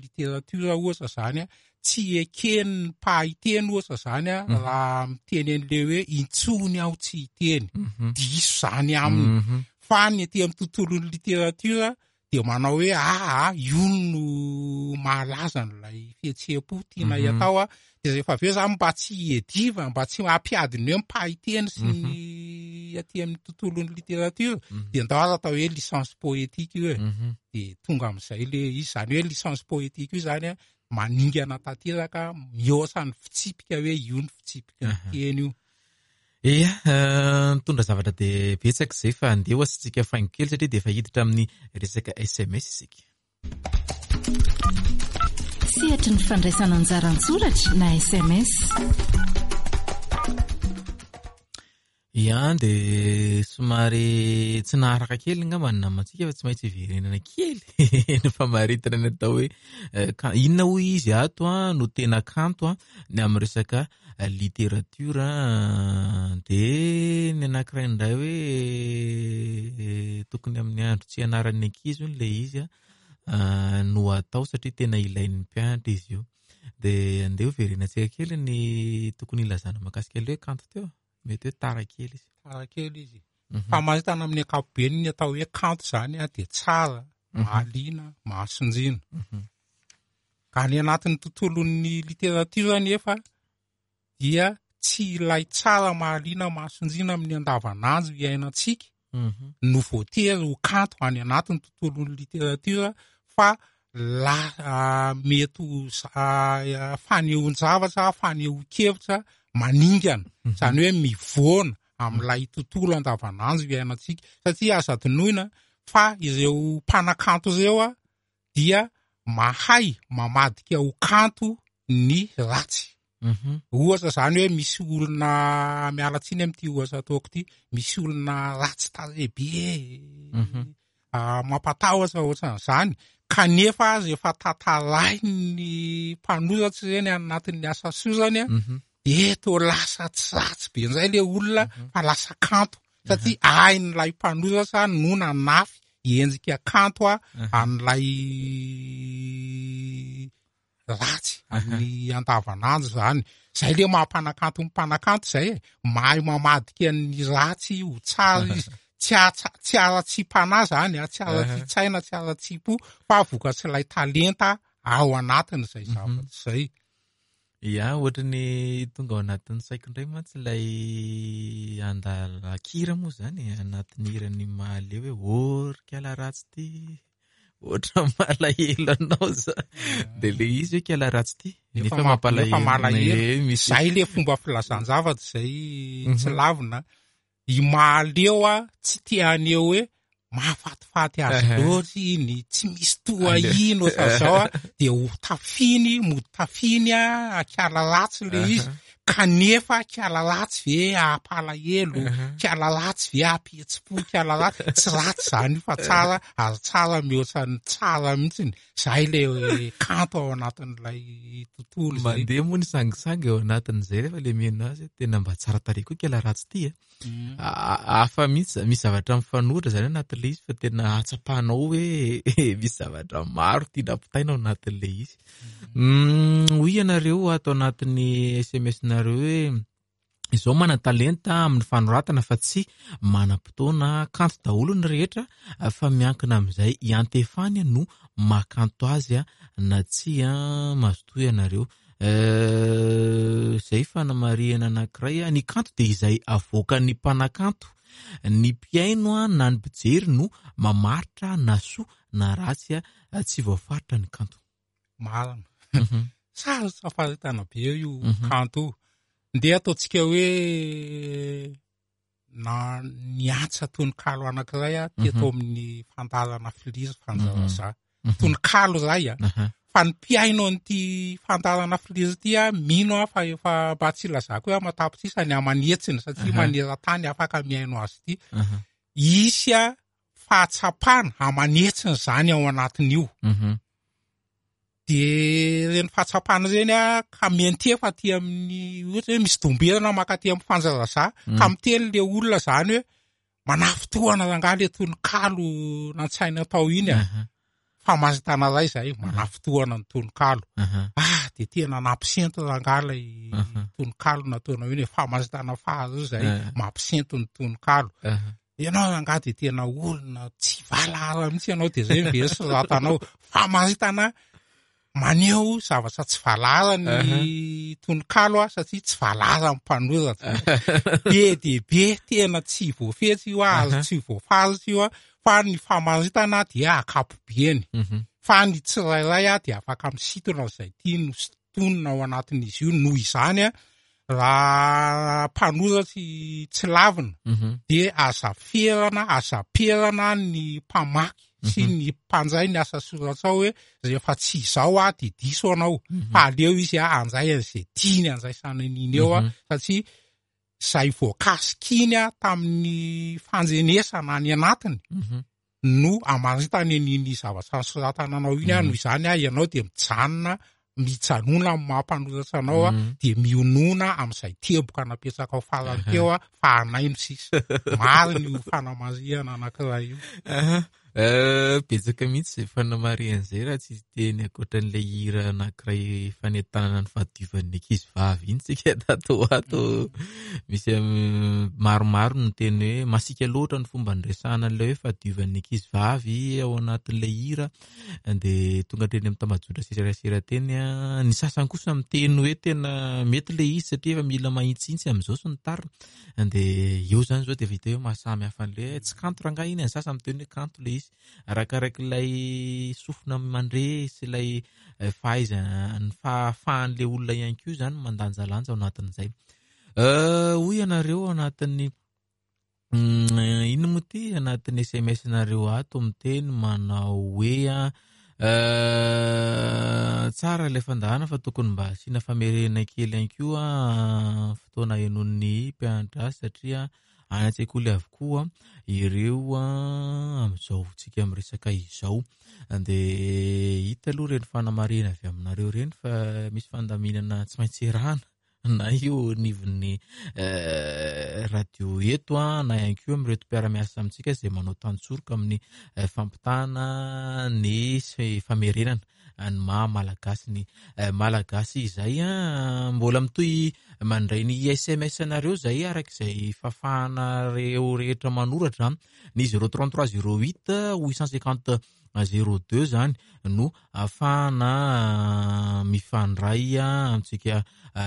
literatiora ohatra izany, tsy eken'ny mpahay teny ohatra izany raha miteny an'ilay hoe intsony aho tsy hiteny, diso izany aminy. Fa ny aty amin'ny tontolon'ny literatiora dia manao hoe ah io no mahalaza an'ilay fihetseham-po tianay atao. Dia rehefa avy eo izany mba tsy hiediva, mba tsy hampiady ny hoe mpahay teny sy ny aty amin'ny tontolon'ny literatiora, dia ndao aza atao hoe licence poétique io e. Dia tonga amin'izay le izy, izany hoe licence poétique io izany maningana tanteraka mihoatra ny fitsipika hoe io ny fitsipika ny teny io. Ia, nitondra zavatra dia betsaka izay fa andeha ho asiantsika faingo kely satria dia efa hiditra amin'ny resaka S M S isika. Sehatry ny fandraisana anjara an-tsoratra na S M S. Ia, dia somary tsy naharaka kely angamba ny namantsika fa tsy maintsy hiverenana kely ny famaritana ny atao hoe, eh, ka-, inona hoy izy ato a, no tena kanto a, ny amin'ny resaka literatiora, dia ny anankiray indray hoe, eh, tokony amin'ny andro tsy hianaran'ny ankizy hono ilay izy a, ah, no atao satria tena ilain'ny mpianatra izy io. Dia andeha hoverenantsika kely ny tokony hilazana mahakasika ilay hoe kanto teo. Mety hoe tara kely izy. Tara kely izy. Mhm. Famaritana amin'ny ankapobeny ny atao hoe kanto izany a, dia tsara, Mhm. mahaliana, mahasonjina. Mhm. Ka any anatin'ny tontolon'ny literatiora nefa dia tsy ilay tsara, mahaliana, mahasonjina amin'ny andavanandro iainantsika Mhm. no voatery ho kanto any anatin'ny tontolon'ny literatiora fa la, ah, mety ho za-, ah, fanehoan-javatra, fanehoan-kevitra maningana. Mhm. Izany hoe mivoana amin'ilay tontolo andavanandro iainantsika. Satria aza adinoina fa ireo mpanakanto ireo a, dia mahay mamadika ho kanto ny ratsy. Mhm. Ohatra izany hoe misy olona, miala tsiny amin'ity ohatra ataoko ity, misy olona ratsy tarehy be, Mhm. ah, mampatahotra ohatran'izany, kanefa rehefa tantarain'ny mpanoratra ireny any anatin'ny asa sorany a, Mhm. de toa lasa tsy ratsy be indray ilay olona Mhm. fa lasa kanto, satria hain'ilay mpanoratra no nanafy endrika kanto a Mhm. an'ilay ratsy amin'ny andavanandro izany. Izay ilay maha-mpanakanto ny mpanakanto izay e, mahay mamadika ny ratsy ho tsara izy. Tsy atsa-, tsy ara-tsiam-panahy izany a, tsy ara-tsaina, tsy ara-tsiam-po, fa vokatr'ilay talenta ao anatin'izay Mhm. zavatra izay. Ia, ohatry ny tonga ao anatin'ny saiko indray mantsy ilay andalakira moa izany, anatin'ny hiran'ny Mahaleo hoe ô ry kiala ratsy ity, ohatra malahelo anao za. Dia ilay izy hoe kiala ratsy ity, Nefa nefa ma-, mampalahelo. nefa malahelo. Eh, misy Izay ilay fomba filazan-javatra izay tsy Mhm. lavina. I Mahaleo a, tsy te haneho hoe mahafatifaty azy Aha. loatra iny, tsy misy toa Aleo. iny ohatran'izao a, dia ho tafiny, mody tafiny a, kiala ratsy ilay izy. Aha. Kanefa kiala ratsy ve hampalahelo, Aha. kiala ratsy ve hampihetsi-po, kiala ratsy, tsy ratsy izany io fa tsara, ary tsara mihoatra ny tsara mihitsiny. Izay ilay kanto ao anatin'ilay tontolo izay. Mandeha moa ny sangisangy ao anatin'izay rehefa ilay mihaino azy, tena mba tsara tarehy koa kiala ratsy ity e. Mm. A-, hafa mihitsy, misy zavatra mifanohitra izany anatin'ilay izy fa tena ahatsapanao hoe misy zavatra maro tiana ampitaina ao anatin'ilay izy. Mm, hoy ianareo ato anatin'ny S M S-nareo hoe izao manan-talenta amin'ny fanoratana fa tsy manam-potoana, kanto daholo ny rehetra fa miankina amin'izay iantefany no mahakanto azy na tsia, mazotoa ianareo. Eh, izay fanamarihana anankiray, ny kanto dia izay avoakan'ny mpanakanto, ny mpihaino na ny mpijery no mamaritra na soa na ratsy, tsy voafaritra ny kanto. Marina. Mhm. Sarotra faritana be io Mhm. kanto io. Ndeha ataontsika hoe na niantsa tononkalo anankiray a, teto Mhm. amin'ny fandaharana Filiry Fanjaraza. Mhm. Tononkalo iray a. Aha. Fa ny mpihaino an'ity fandaharana Filiry ity a, mino aho fa efa mba tsy ilazako hoe aman-tapitrisa ny aman'hetsiny satria Aha. maneran-tany afaka mihaino azy ity. Aha. Hisy a fahatsapana aman'hetsiny izany ao anatin'io. Mhm. De ireny fahatsapana ireny a, ka miantefa aty amin'ny, ohatra hoe misy domberana mankaty amin'ny Fanjaraza, Mm. ka miteny le olona izany hoe manafintohana rangahy le tononkalo nantsaina tao iny a. Aha. Fa maritana iray izay, manafintohana ny tononkalo. Aha. Ah, de tena nampisento rangahy ilay Aha. tononkalo nataonao iny e, fa maritana faharoa izay, Aha. mampisento ny tononkalo. Aha. Ianao rangahy de tena olona tsy valahara mihitsy ianao, de zay ve soratanao. Fa maritana maneho zavatra tsy valahara ny Aha. tononkalo a, satria tsy valahara ny mpanoratra. Be dia be tena tsy voafetsy io a, ary Aha. tsy voafaritra io a, fa ny famaritana dia ankapobeny. Mhm. Fa ny tsirairay a dia afaka misintona izay tiany ho sintonina ao anatin'izy io. Noho izany a, Raha mpanoratsy tsy lavina de aza ferana, aza perana ny mpamaky sy ny mpanjay ny asa soratra ao hoe rehefa tsy izao a de diso anao, fa aleo izy a anjay an'izay tiany andraisana an'iny eo a, satria zay voakasika iny a tamin'ny fanjenesana any anatiny no amaritany an'iny zavatra nosoratana anao iny a. Noho izany a ianao de mijanona, mijanona amin'ny maha mpanoratra anao a, de mionona amin'izay teboka napetraka ao farany teo a, fa anaino sisa. Marina io fanamarihana anankiray io. Betsaka mihitsy izay fanamarihan'izay raha tsy teny ankoatran'ilay hira anankiray fanentanana ny fahadiovan'ny ankizy vavy iny tsika tato ho ato. Misy maromaro ny teny hoe masiaka loatra ny fomba niresahana an'ilay hoe fahadiovan'ny ankizy vavy ao anatin'ilay hira, de tonga hatreny amin'ny tambajotra serasera teny a. Ny sasany kosa miteny hoe tena mety ilay izy satria efa mila mahitsihitsy amin'izao sy ny tariny, de eo zany zao de efa hita hoe mahasamy hafa an'ilay hoe tsy kanto rangahy iny, ny sasany miteny hoe kanto ilay izy arakaraky ilay sofina mandre sy ilay fahaizana ny fahafahan'ilay olona ihany koa zany mandanjalanja ao anatin'izay. Hoy ianareo ao anatin'ny inona moa ity anatin'ny S M S nareo ato miteny manao hoe tsara ilay fandaharana fa tokony mba asiana famerenana kely ihany koa fotoana henoin'ny mpianatra azy satria any an-tsekoly avokoa ireo amin'izao tsika miresaka izao. De hita aloha ireny fanamarihana avy aminareo ireny fa misy fandaminana tsy maintsy erahana na io anivon'ny radio eto a, na ihany koa amin'ireto mpiara-miasa amintsika izay manao tantsoroka amin'ny fampitana ny famerenana ny maha malagasy ny malagasy izay a. Mbola mitohy mandray ny S M S nareo izay araka izay fahafahanareo rehetra manoratra ny zéro trente-trois zéro huit huit cent cinquante zéro deux zany no ahafahana mifandray amintsika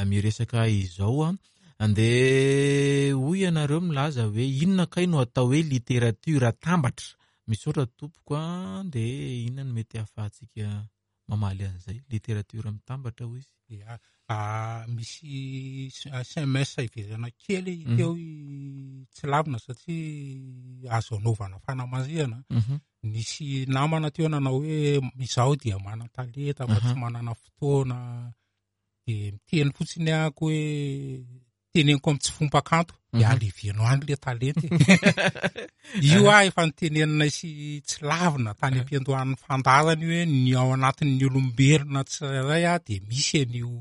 miresaka izao a. Andeha hoy ianareo milaza hoe inona kay no atao hoe literatiora tambatra? Misaotra tompoko a. De inona no mety ahafahantsika mamaly an'izay literatiora mitambatra hoy izy? Ya, misy S M S iverana kely teo tsy lavina satria azo anaovana fanamarihana. Nisy namana teo nanao hoe izaho dia manan-talenta fa tsy manana fotoana, de miteny fotsiny ahako hoe teneniko amin'ny tsy fomba-kanto de aleveno any le talenta. Io aho efa nitenenina sy tsy lavina tany am-piandohan'ny fandaharana io hoe ny ao anatin'ny olombelona tsirairay a de misy an'io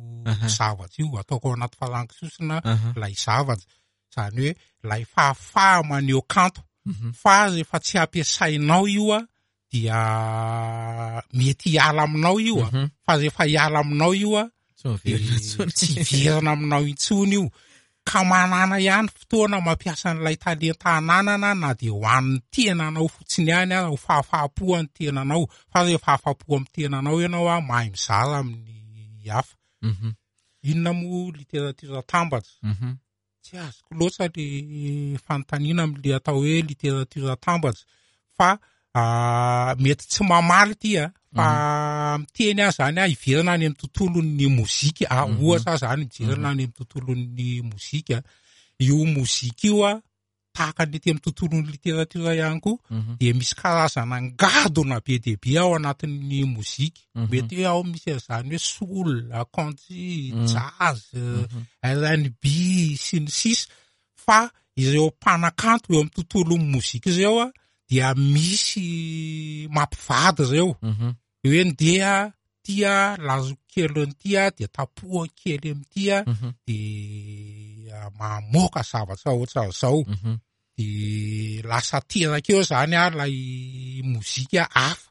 zavatra io, ataoko ao anaty farango sosona ilay zavatra, zany hoe ilay fahafaha maneho kanto. Fa rehefa tsy ampiasainao io a dia mety hiala aminao io a, fa rehefa hiala aminao io a tsy hiverina aminao intsony io. Ka manana ihany fotoana mampiasa an'ilay talenta ananana na de ho an'ny tenanao fotsiny ihany a, ho fahafahapo an'ny tenanao, fa rehefa afa-po amin'ny tenanao ianao a mahay mizara amin'ny hafa. Inona moa literatiora tambatra? Tsy azoko loatra le fanontaniana amin'le atao hoe literatiora tambatra, fa mety tsy mamaly ity a, fa miteny aho zany a hiverina any amin'ny tontolon'ny mozika, ohatra zany mijerena any amin'ny tontolon'ny mozika. Io mozika io a tahaka ny ety amin'ny tontolon'ny literatiora ihany koa de misy karazana ngadona be dia be ao anatin'ny mozika. Mety hoe ao misy an'izany hoe soul, country, jazz, R and B sy ny sisa, fa ireo mpanakanto eo amin'ny tontolon'ny mozika ireo a dia misy mampivady ireo. Hoe ndeha tia lazoko kely an'ity a, dia tapoha kely amin'ity a, de mamoaka zavatra ohatran'izao. De lasa teraka eo zany a ilay mozika hafa.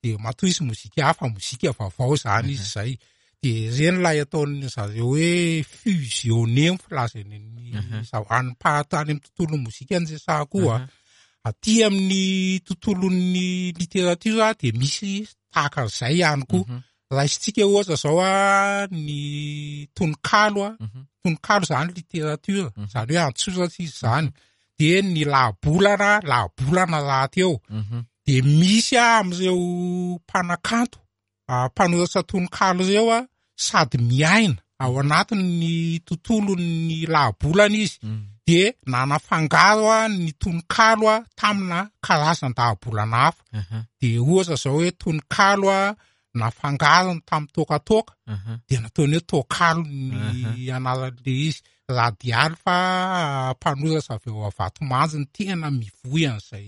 De matoa izy mozika hafa, mozika vaovao zany izy zay. De ireny ilay ataon'ny zareo hoe fusionner ny filazany ny zava-, any mpa-, any amin'ny tontolon'ny mozika ny resahako koa. Aty amin'ny tontolon'ny literatiora de misy tahaka an'izay ihany koa. Raisintsika ohatra zao a ny tononkalo a, tononkalo zany literatiora, zany hoe antsoratra izy zany. De ny lahabolana, lahabolana rahateo. De misy a amin'ireo mpanakanto, mpanoratra tononkalo ireo a, sady miaina ao anatin'ny tontolon'ny lahabolana izy, de nanafangaro a ny tononkalo a tamina karazan-dahabolana hafa. De ohatra zao hoe tononkalo a nafangarony tamin'ny tokatoka, de nataony hoe tokalo ny anaran'le izy. Radialy fa mpanoratra avy eo Avatomanjy ny tena mivoy an'izay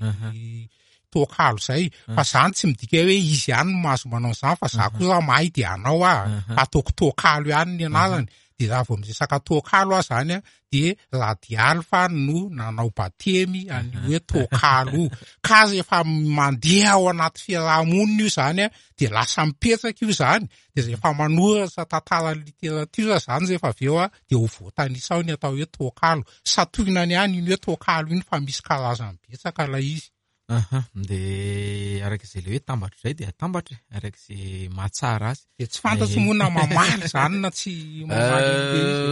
tokalo zay, fa zany tsy midika hoe izy ihany no mahazo manao an'izany, fa za koa raha mahay de anao aho, ataoko tokalo ihany ny anarany. De raha vao miresaka tokalo aho zany a, de Radialy fa no nanao batemy an'io hoe tokalo io. Ka rehefa mandeha ao anaty fiarahamonina io zany a, de lasa mipetraka io zany, de rehefa manoratra tantara literatiora zany rehefa avy eo a, de ho voatanisa ao ny atao hoe tokalo. Satohinany ihany iny hoe tokalo iny fa misy karazany betsaka ilay izy. Aha, de araka izay le hoe tambatra izay de atambatra, araka izay mahatsara azy. De tsy fantatro moa na mamaly zany na tsy mamaly an'ilay izy.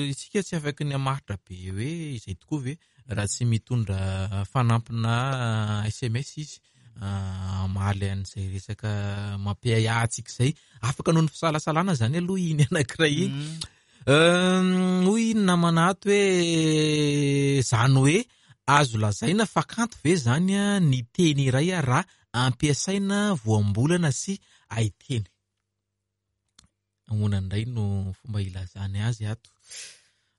Isika tsy afaky ny hamaritra be hoe izay tokoa ve raha tsy mitondra fanampina S M S izy hamaly an'izay resaka mampiahiahy antsika izay. Afaka noho ny fisalasalana zany aloha iny anankiray iny. Hoy ny namana ato hoe zany hoe azo lazaina fa kanto ve zany a ny teny iray a raha ampiasaina voambolana sy haiteny? Ahoana indray no fomba ilazany azy ato?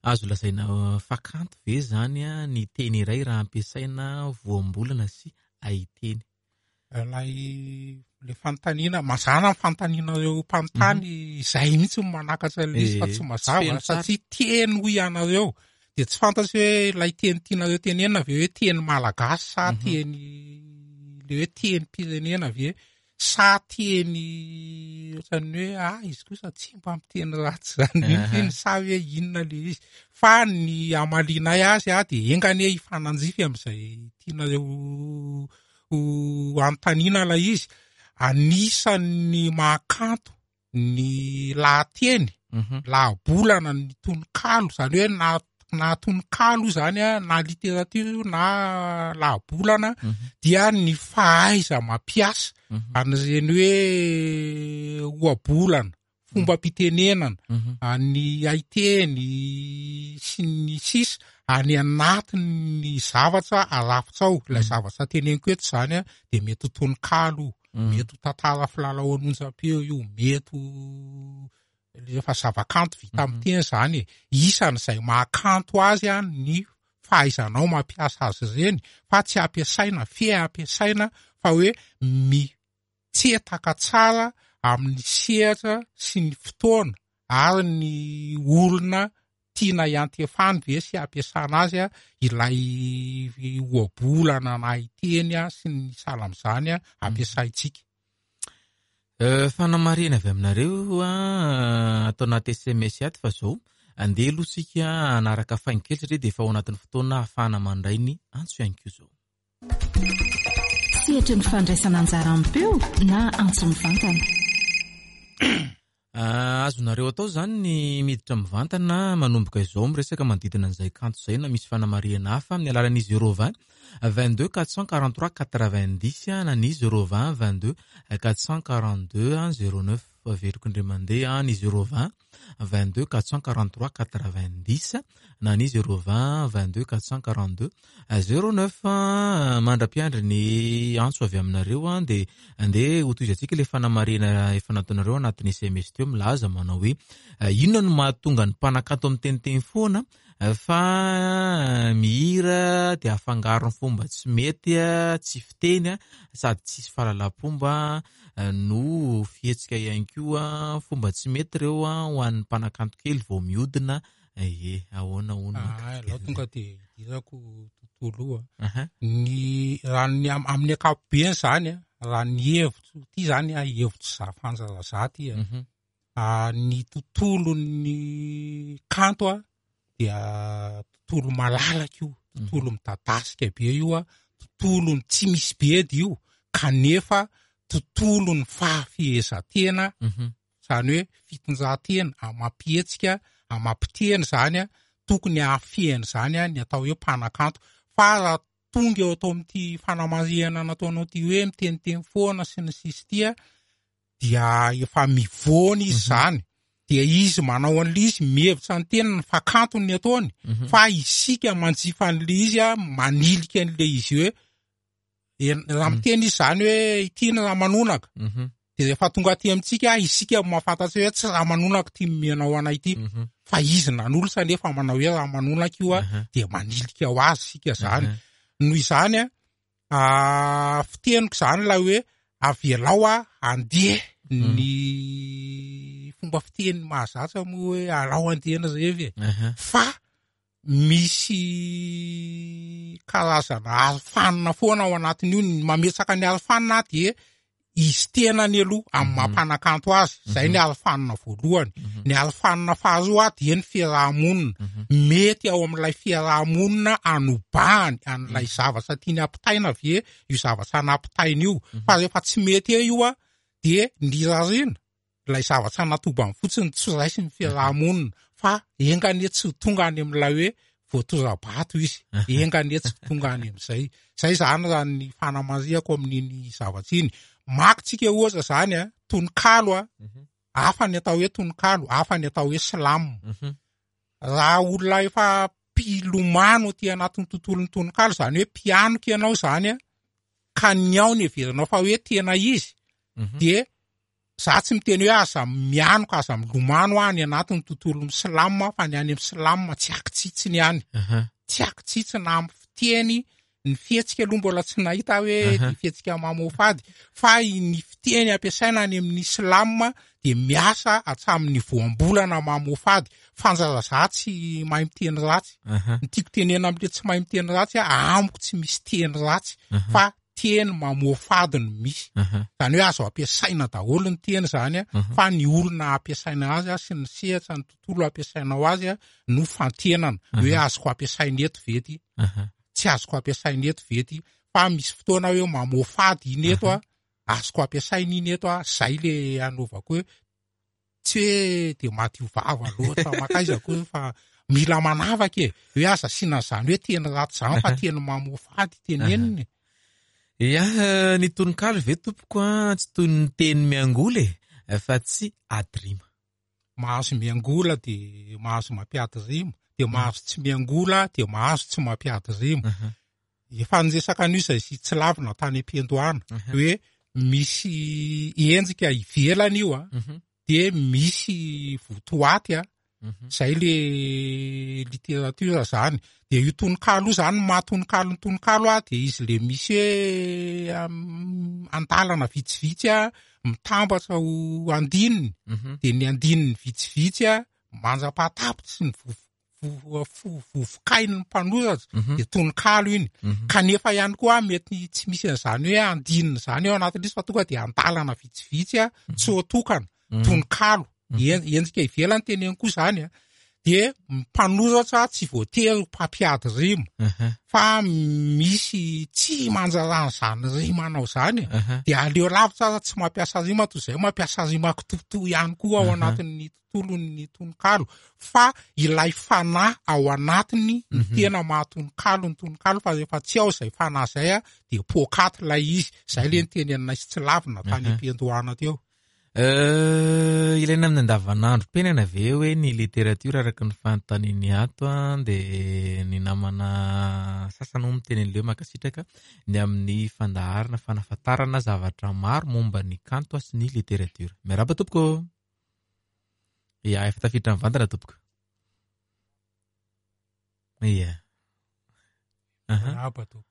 Azo lazaina fa kanto ve zany a ny teny iray raha ampiasaina voambolana sy haiteny? Ilay le fanontaniana, mazàna ny fanontanianareo mpanontany, izay mihitsy no manakatra ilay izy fa tsy mazava, satria teny hoy ianareo. De tsy fantatro hoe ilay teny tianareo tenenina ve hoe teny malagasy sa teny le hoe tenim-pirenena ve sa teny ohatran'ny hoe ah izy kosa tsy mba miteny ratsy zany mihitsy iny, sa hoe inona le izy. Fa ny hamalinay azy a de enga anie hifanandrify amin'izay tianareo ho anontaniana ilay izy. Anisan'ny mahakanto ny lahateny, lahabolana, ny tononkalo, zany hoe na na tononkalo io zany a, na literatiora io na lahabolana, dia ny fahaiza mampiasa an'ireny hoe ohabolana, fombam-pitenenana, ny haiteny sy ny sisa any anatin'ny zavatra arafitra ao. Ilay zavatra teneniko eto zany a, de mety ho tononkalo io, mety ho tantara filalao an'onjam-peo io, mety ho rehefa zavakanto vita amin'ny teny zany e. Isan'izay mahakanto azy a ny fahaizanao mampiasa azy ireny, fa tsy ampiasaina fe ampiasaina fa hoe mitsetaka tsara amin'ny sehatra sy ny fotoana ary ny olona tiana hiantefany ve sy ampiasana azy a ilay ohabolana na haiteny a sy ny sahala amin'izany a ampiasaintsika. Fanamarihana avy aminareo a atao anaty S M S ato fa zao andeha aloha isika hanaraka faingo kely satria dia efa ao anatin'ny fotoana ahafahana mandray ny antso ihany koa zao. Sehatry ny fandraisana anjara amim-peo na antso mivantana. Azonareo atao zany ny miditra mivantana manomboka izao miresaka manodidina an'izay kanto izay na misy fanamarihana hafa amin'ny alalan'ny zéro vingt vingt-deux quatre cent quarante-trois quatre-vingt-dix na ny zéro vingt vingt-deux quatre cent quarante-deux zéro neuf. Averiko indray mandeha ny zéro vingt vingt-deux quatre cent quarante-trois quatre-vingt-dix na ny zéro vingt vingt-deux quatre cent quarante-deux zéro neuf. Mandra-piandry ny antso avy aminareo a, dia andeha ho tohizantsika ilay fanamarihana efa nataonareo anatin'ny S M S teo milaza manao hoe inona no mahatonga ny mpanakanto miteniteny foana fa mihira dia afangaro ny fomba tsy mety, tsy fiteny sady tsisy fahalalam-pomba no fihetsika ihany koa, fomba tsy mety ireo ho an'ny mpanakanto kely vao mihodina. Ie, ahoana hono Ah, mahakasika alao an'izay? tonga dia idirako tontolo io a. Aha. Ny raha ny am-, amin'ny ankapobeny zany a, raha ny hevitro ty zany a, hevitro za Fanja za ty a. Mhm. Ah, ny tontolon'ny kanto a dia tontolo malalaka io, tontolo midadasika be io a, tontolon'ny tsy misy bedy io, kanefa tontolon'ny fahafehezan-tena, Mhm. zany hoe fitondran-tena amam-pihetsika, amam-piteny zany a, tokony hahafehiny zany a ny atao hoe mpanakanto. Fa raha tonga eo atao amin'ity fanamarihana nataonao ty hoe miteniteny foana sy ny sisy ty a, dia efa mivoana izy Mhm. zany. Dia izy manao an'le izy mihevitra ny tenany fa kanto ny ataony, fa isika manjifa an'le izy a manilika an'le izy hoe raha miteny izy zany hoe ity ny ramanonaka, de rehefa tonga aty amintsika isika mahafantatsy hoe tsy ramanonaka ty mianao anay ity, fa izy nanolotra nefa manao hoe ramanonaka io a, de manilika ho azy isika zany. Noho izany a fiteniko zany ilay hoe avelao a andeha ny fomba fiteny mahazatra moa hoe alao andehana zay e, fa misy karazana arofanina foana ao anatin'io. Ny mametsaka ny arofanina dia izy tenany aloha amin'ny mampanakanto azy, zay ny arofanina voalohany. Ny arofanina faharoa dia ny fiarahamonina, mety ao amin'ilay fiarahamonina anobahany an'ilay zavatra tiany ampitaina ve io zavatra nampitaina io, fa rehefa tsy mety eo io a dia ny rarina ilay zavatra natobany fotsiny tsy raisin'ny fiarahamonina, fa enga anie tsy ho tonga any amin'ilay hoe voatora-bato izy, enga anie tsy ho tonga any amin'izay. Zay zany raha ny fanamarihako amin'iny zavatra iny. Maka tsika ohatra zany a tononkalo a, hafa ny atao hoe tononkalo, hafa ny atao hoe slam. Raha olona efa mpilomano aty anatin'ny tontolon'ny tononkalo, zany hoe mpianoka ianao zany a, ka ny ao ny heverinao fa hoe tena izy, dia za tsy miteny hoe aza mianoka, aza milomano any anatin'ny tontolon'ny slam, fa ny any amin'ny slam tsy akitsitsiny any, tsy akitsitsina amin'ny fiteny. Ny fihetsika aloha mbola tsy nahita hoe ny fihetsika mamoafady, fa ny fiteny ampiasaina any amin'ny slam dia miasa hatramin'ny voambolana mamoafady. Fanjara za tsy mahay miteny ratsy, ny tiako tenena amin'ilay tsy mahay miteny ratsy a, amiko tsy misy teny ratsy, fa teny mamoafady no misy. Zany hoe azo ampiasaina daholo ny teny zany a, fa ny olona ampiasaina azy a sy ny sehatra ny tontolo ampiasainao azy a no fantenana hoe azoko ampiasaina eto ve ty, tsy azoko ampiasaina eto ve ty, fa misy fotoana hoe mamoafady iny eto a, azoko ampiasaina iny eto a, zay le anaovako hoe tsy hoe de madio vava loatra makaiza koa, fa mila manavaka e, hoe aza asiana zany hoe teny ratsy zany fa teny mamoafady teneniny. Ia, ny tononkalo ve tompoko a tsy toy ny teny miangola e, fa tsy ady rima. Mahazo miangola de mahazo mampiady rima, de mahazo tsy miangola de mahazo tsy mampiady rima. Efa niresaka an'io izay sy tsy lavina tany am-piandohana hoe misy endrika ivelany io a, de misy votoaty a, zay le littérature zany. De io tononkalo io zany, maha tononkalo ny tononkalo a, de izy le misy hoe andalana vitsivitsy a mitambatra ho andininy, de ny andininy vitsivitsy a mandra-pahatapitry ny vo- vo- vovokain'ny mpanoratra, de tononkalo iny. Kanefa ihany koa mety tsy misy an'izany hoe andininy zany ao anatin'izy, fa tonga de andalana vitsivitsy a tsy otokana tononkalo. Endrika ivelany teneny koa zany a, de mpanoratra tsy voatery mpampiady rima, fa misy tsy manjarany zany rima anao zany, de aleo lavitra aza tsy mampiasa rima toy izay mampiasa rima kitotoa ihany koa ao anatin'ny tontolon'ny tononkalo, fa ilay fanahy ao anatiny ny tena mahatononkalo ny tononkalo, fa rehefa tsy ao izay fanahy zay a de poakaty ilay izy. Zay le niteny aminay sy tsy lavina tany am-piandohana teo. Ilaina amin'ny andavanandrom-piainana ve hoe ny literatiora araka ny fanontaniany ato a, de ny namana sasany moa miteny an'ilay hoe mankasitraka ny amin'ny fandaharana fanafantarana zavatra maro momba ny kanto sy ny literatiora. Miarahaba tompoko. Ia, efa tafiditra mivantana tompoko. Ia. Miarahaba tompoko.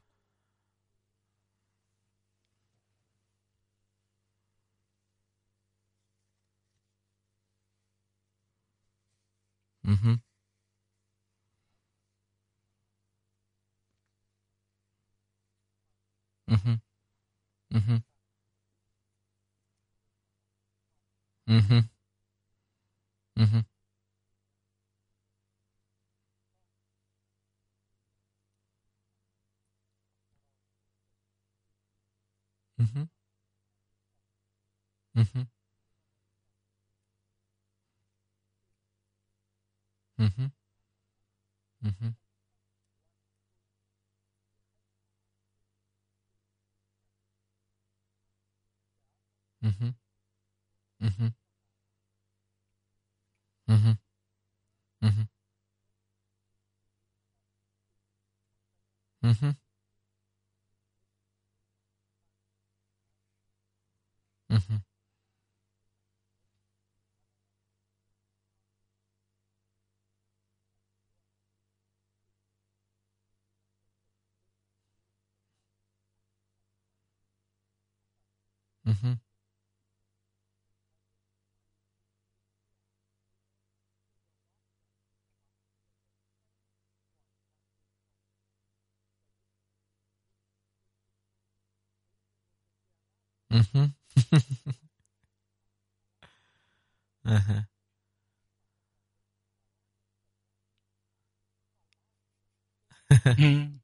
Mhm. Mhm. Mhm. Mhm. Mhm. Mhm. Mhm. Mhm. Mhm. Mhm. Mhm. Mhm. Mhm. Mhm. Mhm. Aha. Mm.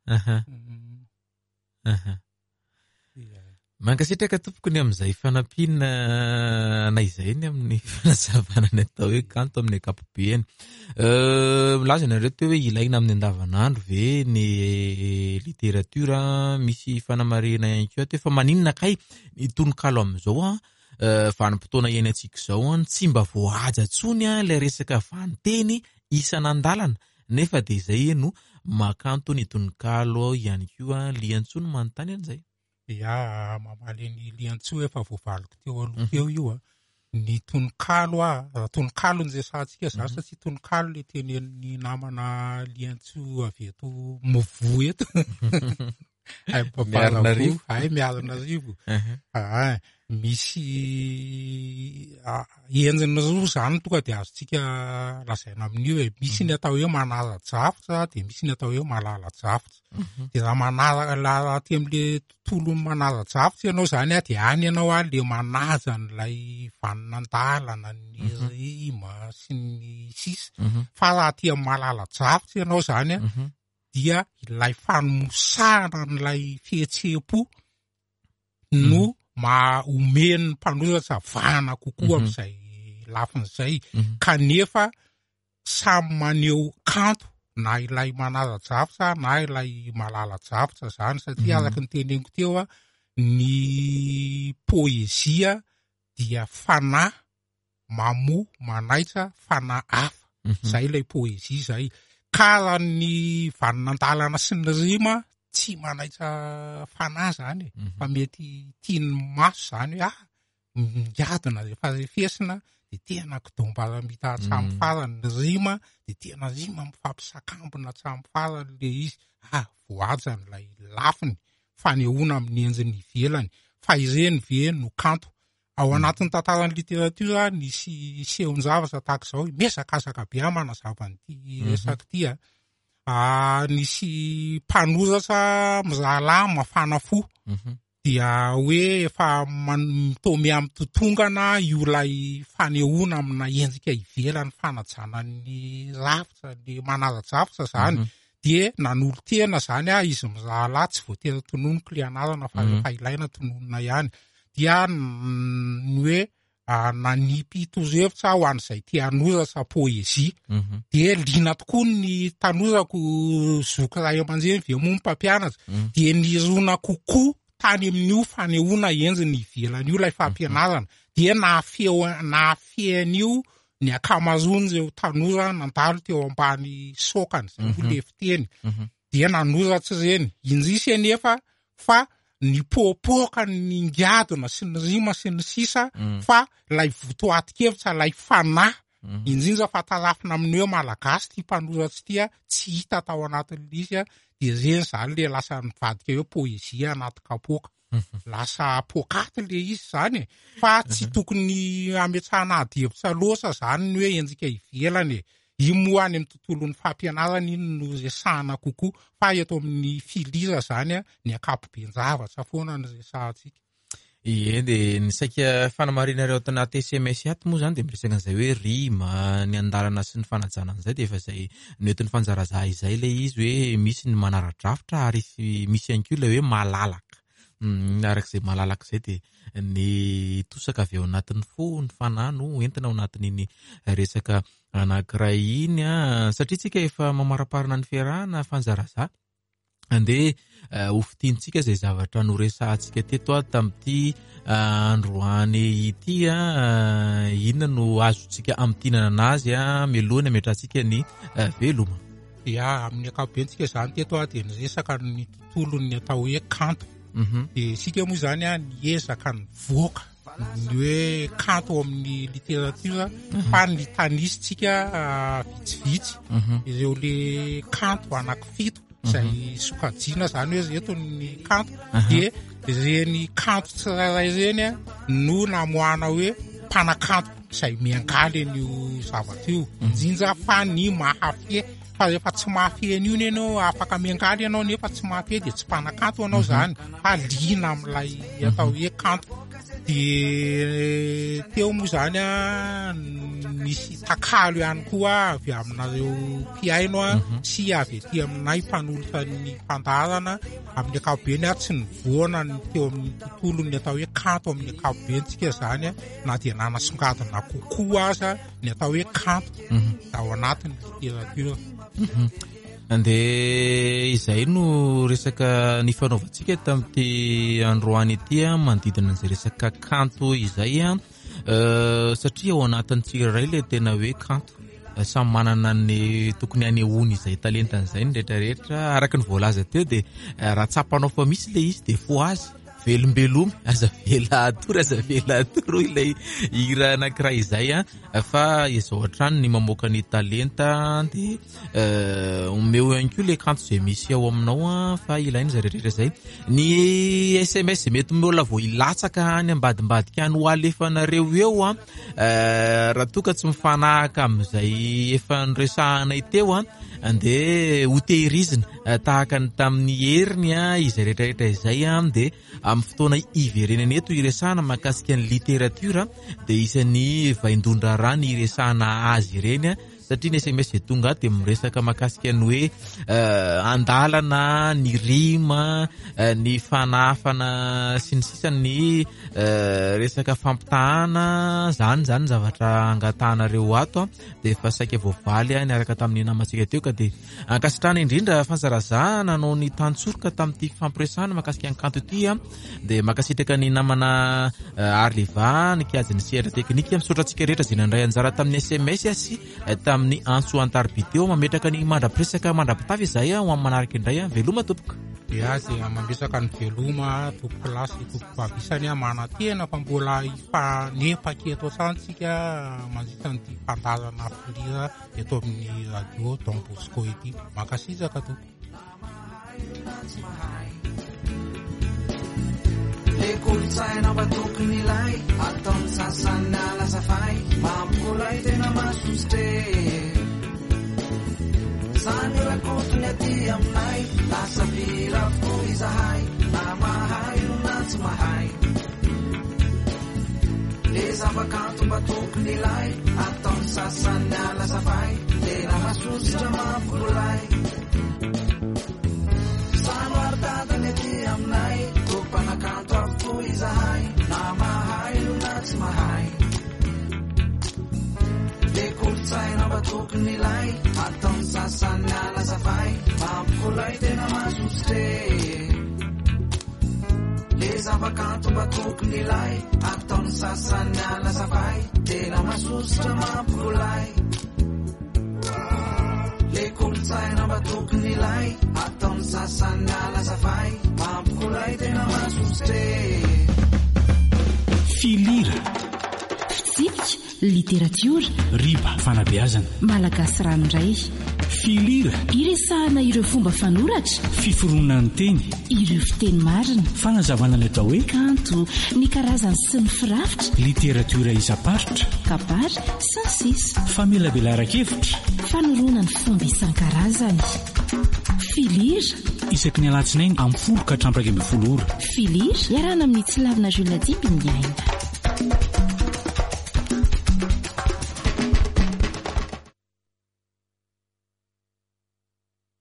Aha. Mm. Aha. Ia. Mankasitraka tompoko ny amin'izay fanampiana anay izay ny amin'ny fanazavana ny atao hoe kanto amin'ny ankapobeny. Euh, milaza ianareo teo hoe ilaina amin'ny andavanandro ve ny literatiora, misy fanamarihana ihany koa teo fa maninona kay ny tononkalo amin'izao an, euh, vanim-potoana iainantsika izao an, tsy mba voahaja intsony an ilay resaka vaninteny isan'andalana nefa dia izay no mahakanto ny tononkalo ihany koa liantsoa no manontany an'izay. Ia, mamaly ny liantsoa efa voavaliko teo aloha teo io a. Ny tononkalo a, raha tononkalo no resahantsika zany satria tononkalo le tenenin'ny namana liantsoa avy eto Movo eto. Ay, Miarinarivo. Ay, Miarinarivo. Aha. Ah, misy ah, endriny roa zany tonga de azontsika lazaina amin'io e. Misy ny atao hoe manara-drafitra de misy ny atao hoe malala-drafitra. De raha manara la- raha aty am'le tontolo manara-drafitra ianao zany a, de any ianao a le manaja an'ilay vaninandalana, ny rima sy ny sisa. Mhm. Fa raha aty amin'ny malala-drafitra ianao zany a, Mhm. dia ilay fanomosahana an'ilay fihetseham-po no maha omen'ny mpanoratra vahana kokoa Mhm. amin'izay lafin'izay. Mhm. Kanefa samy maneho kanto na ilay manara-drafitra na ilay malala-drafitra zany satria Mhm. araka ny teneniko teo a, ny poezia dia fanahy mamoa manaitra fanahy hafa. Mhm. Zay ilay poezia zay. Ka raha ny vaninandalana sy ny rima tsy manaitra fanahy zany e. Mhm. Fa mety tian'ny maso zany hoe ah miadina rehefa refesina de tena kidombaramita hatramin'ny Mm. farany ny rima de tena rima mifampisakambina hatramin'ny farany le izy. Ah, voajany ilay lafiny fanehoana amin'ny endriny ivelany. Fa ireny ve no kanto? Ao anatin'ny tantaran'ny literatiora nisy sehon-javatra tahaka izao, miezakazaka be aho manazava an'ity Mhm. resaka ity a. Ah, nisy mpanoratra mirahalahy mafana fo. Mhm. Dia hoe efa man- mitaomy amin'ny totongana io ilay fanehoana amina endrika ivelany fanajana ny rafitra, ny manara-drafitra zany. Mhm. Dia nanolo-tena zany a izy mirahalahy, tsy voatery tononiko le anarana fa Mhm. rehefa ilaina tononina ihany. Dia n- ny hoe ah, nanipy torohevitra ho an'izay te hanoratra poezia. Mhm. Dia liana tokoa ny tanorako zoky ray aman-dreny ve moa ny mpampianatra. Mhm. Dia nirona kokoa tany amin'io fanehoana endriny ivelany io ilay fampianarana. Dia nahafeo- nahafehy an'io ny ankamaroan'ireo tanora nandalo teo ambany sokany, izay moa Mhm. le fiteny. Mhm. Dia nanoratra ireny. Indrisy anefa fa nipoapoaka ny ngadona sy ny rima sy ny sisa Mm. fa ilay votoatin-kevitra, ilay fanahy Mhm. indrindra fa tarafina amin'ny hoe malagasy ty mpanoratra ty a, tsy hita tao anatin'ilay izy a, de ireny zany le lasa nivadika hoe poezia anaty kapoaka. Lasa poakaty le izy zany e. Fa tsy tokony hametrahana ady hevitra loatra zany ny hoe endrika ivelany e. Io moa any amin'ny tontolon'ny fampianarana iny no resahana kokoa, fa eto amin'ny filira zany a, ny ankapoben-javatra foana no resahantsika. Ie, de ny saika fanamarinareo ato anaty S M S ato moa zany de miresaka an'izay hoe rima, ny andalana sy ny fanajana an'izay, de efa izay noentin'ny fanjarazaha izay ilay izy hoe misy ny manara-drafitra ary sy-, misy ihany koa ilay hoe malalaka. Mm, arak'izay malalaka izay de ny tosaka avy ao anatin'ny fo, ny fanahy no entina ao anatin'iny resaka anankiray iny a, satria tsika efa mamaraparana ny fiarahana fanjarazaha. Andeha, eh, ho fintintsika izay zavatra noresahantsika teto a tamin'ity, eh, androany ity a, eh, inona no azontsika amintinana anazy a, mialoha ny hametrahantsika ny, eh, veloma. Ya, amin'ny ankapobentsika zany teto a dia niresaka ny tontolon'ny atao hoe kanto. Dia isika moa zany a niezaka nivoaka ny hoe kanto amin'ny literatiora fa ny tanisitsika vitsivitsy ireo le kanto anankifito izay sokajiana zany hoe eto ny kanto dia ireny kanto tsirairay ireny a no namoahana hoe mpanakanto izay miangaly an'io zavatra io, indrindra fa ny mahafehy. Fa rehefa tsy mahafehy an'io iny ianao, afaka miangaly ianao nefa tsy mahafehy dia tsy mpanakanto ianao zany, fa liana amin'ilay atao hoe kanto. Dia teo moa zany a misy takalo ihany koa avy aminareo mpihaino a sy avy aty aminay mpanolotra ny fandaharana. Amin'ny ankapobeny a tsy nivoana ny teo amin'ny tontolon'ny atao hoe kanto amin'ny ankapobentsika zany a, na dia nanasongadina kokoa aza ny atao hoe kanto ao anatin'ny literatiora. Andeha izay no resaka nifanaovantsika tamin'ity androany ity a, manodidina an'izay resaka kanto izay a, satria ao anatin'ny tsirairay ilay tena hoe kanto, samy manana ny tokony hanehoany izay talentany izay ny rehetrarehetra. Araka ny voalaza teo dia raha tsapanao fa misy ilay izy dia fohazy, velombelomy, aza vela atory, aza vela atory ilay hira anankiray izay a, fa izao hatrany ny mamoaka ny talenta dia omeo ihany koa ilay kanto izay misy ao aminao a, fa ilaina izay rehetrarehetra izay. Ny S M S mety mbola vao hilatsaka any ambadimbadika any ho alefanareo eo a, raha toa ka tsy mifanahaka amin'izay efa noresahanay teo a, dia hotehirizina tahaka ny tamin'ny heriny a izay rehetrarehetra izay a, dia amin'ny fotoana iverenana eto iresahana mahakasika ny literatiora dia isan'ny vaindohan-draharaha ny iresahana azy ireny a, satria ny S M S izay tonga ato dia miresaka mahakasika ny hoe andalana, ny rima, ny fanafana sy ny sisa, ny resaka fampitahana, zany zany zavatra angatahanareo ato a, dia efa saika voavaly a niaraka tamin'ny namantsika teo ka dia ankasitrahana indrindra Fanjaraza nanao ny tantsoroka tamin'ity fampiresahana mahakasika ny kanto ity a, dia mankasitraka ny namana Arleva nikajy ny sehatra teknika. Misaotra antsika rehetra izay nandray anjara tamin'ny S M S sy tamin'ny antso an-tariby teo. Mametraka ny mandra-piresaka mandra-pitafy izay ho amin'ny manaraka indray a. Veloma tompoko. Ya, dia mametraka ny veloma tompoko lahy sy tompoko vavy isany a, manantena fa mbola hifanepaka eto an-tranontsika mandritra ny fandaharana filira eto amin'ny radio Don Bosco ity. Mankasitraka tompoko. Le kolontsaina mba tokony ilay ataon'ny sasany alazafay mampikolay tena masosotra zany rakotony aty aminay lasa fira avokoa izahay na mahay no na tsy mahay le zava-kanto mba tokony ilay ataon'ny sasany alazafay tena masosotra mampikolay samy aritadany aty aminay mpanakanto avokoa izahay na mahay no na tsy mahay le kolontsaina mba tokony ilay ataon'ny sasany alazafay mampikolay tena masosotra le zava-kanto mba tokony ilay ataon'ny sasany alazafay tena masosotra mampikolay le kolontsaina mba tokony ilay ataon'ny sasany alazafay mampikolay tena masosotra. Filira, fitsipika, literatiora, riba, fanabeazana, malagasy ranoray. Filira, iresahana ireo fomba fanoratra, fiforonan'ny teny, ireo fiteny marina, fanazavana ny atao hoe kanto, ny karazany sy ny firafitra, literatiora isam-paritra, kabary sy ny sisa, famelabelaran-kevitra, fanoroana ny fomba isan-karazany. Filira, isaky ny alatsinainy amin'ny folo ka hatramin'ny iraika ambin'ny folo ora. Filira, iarahana amin'ny Tsilavina Jules Dimby ny aina.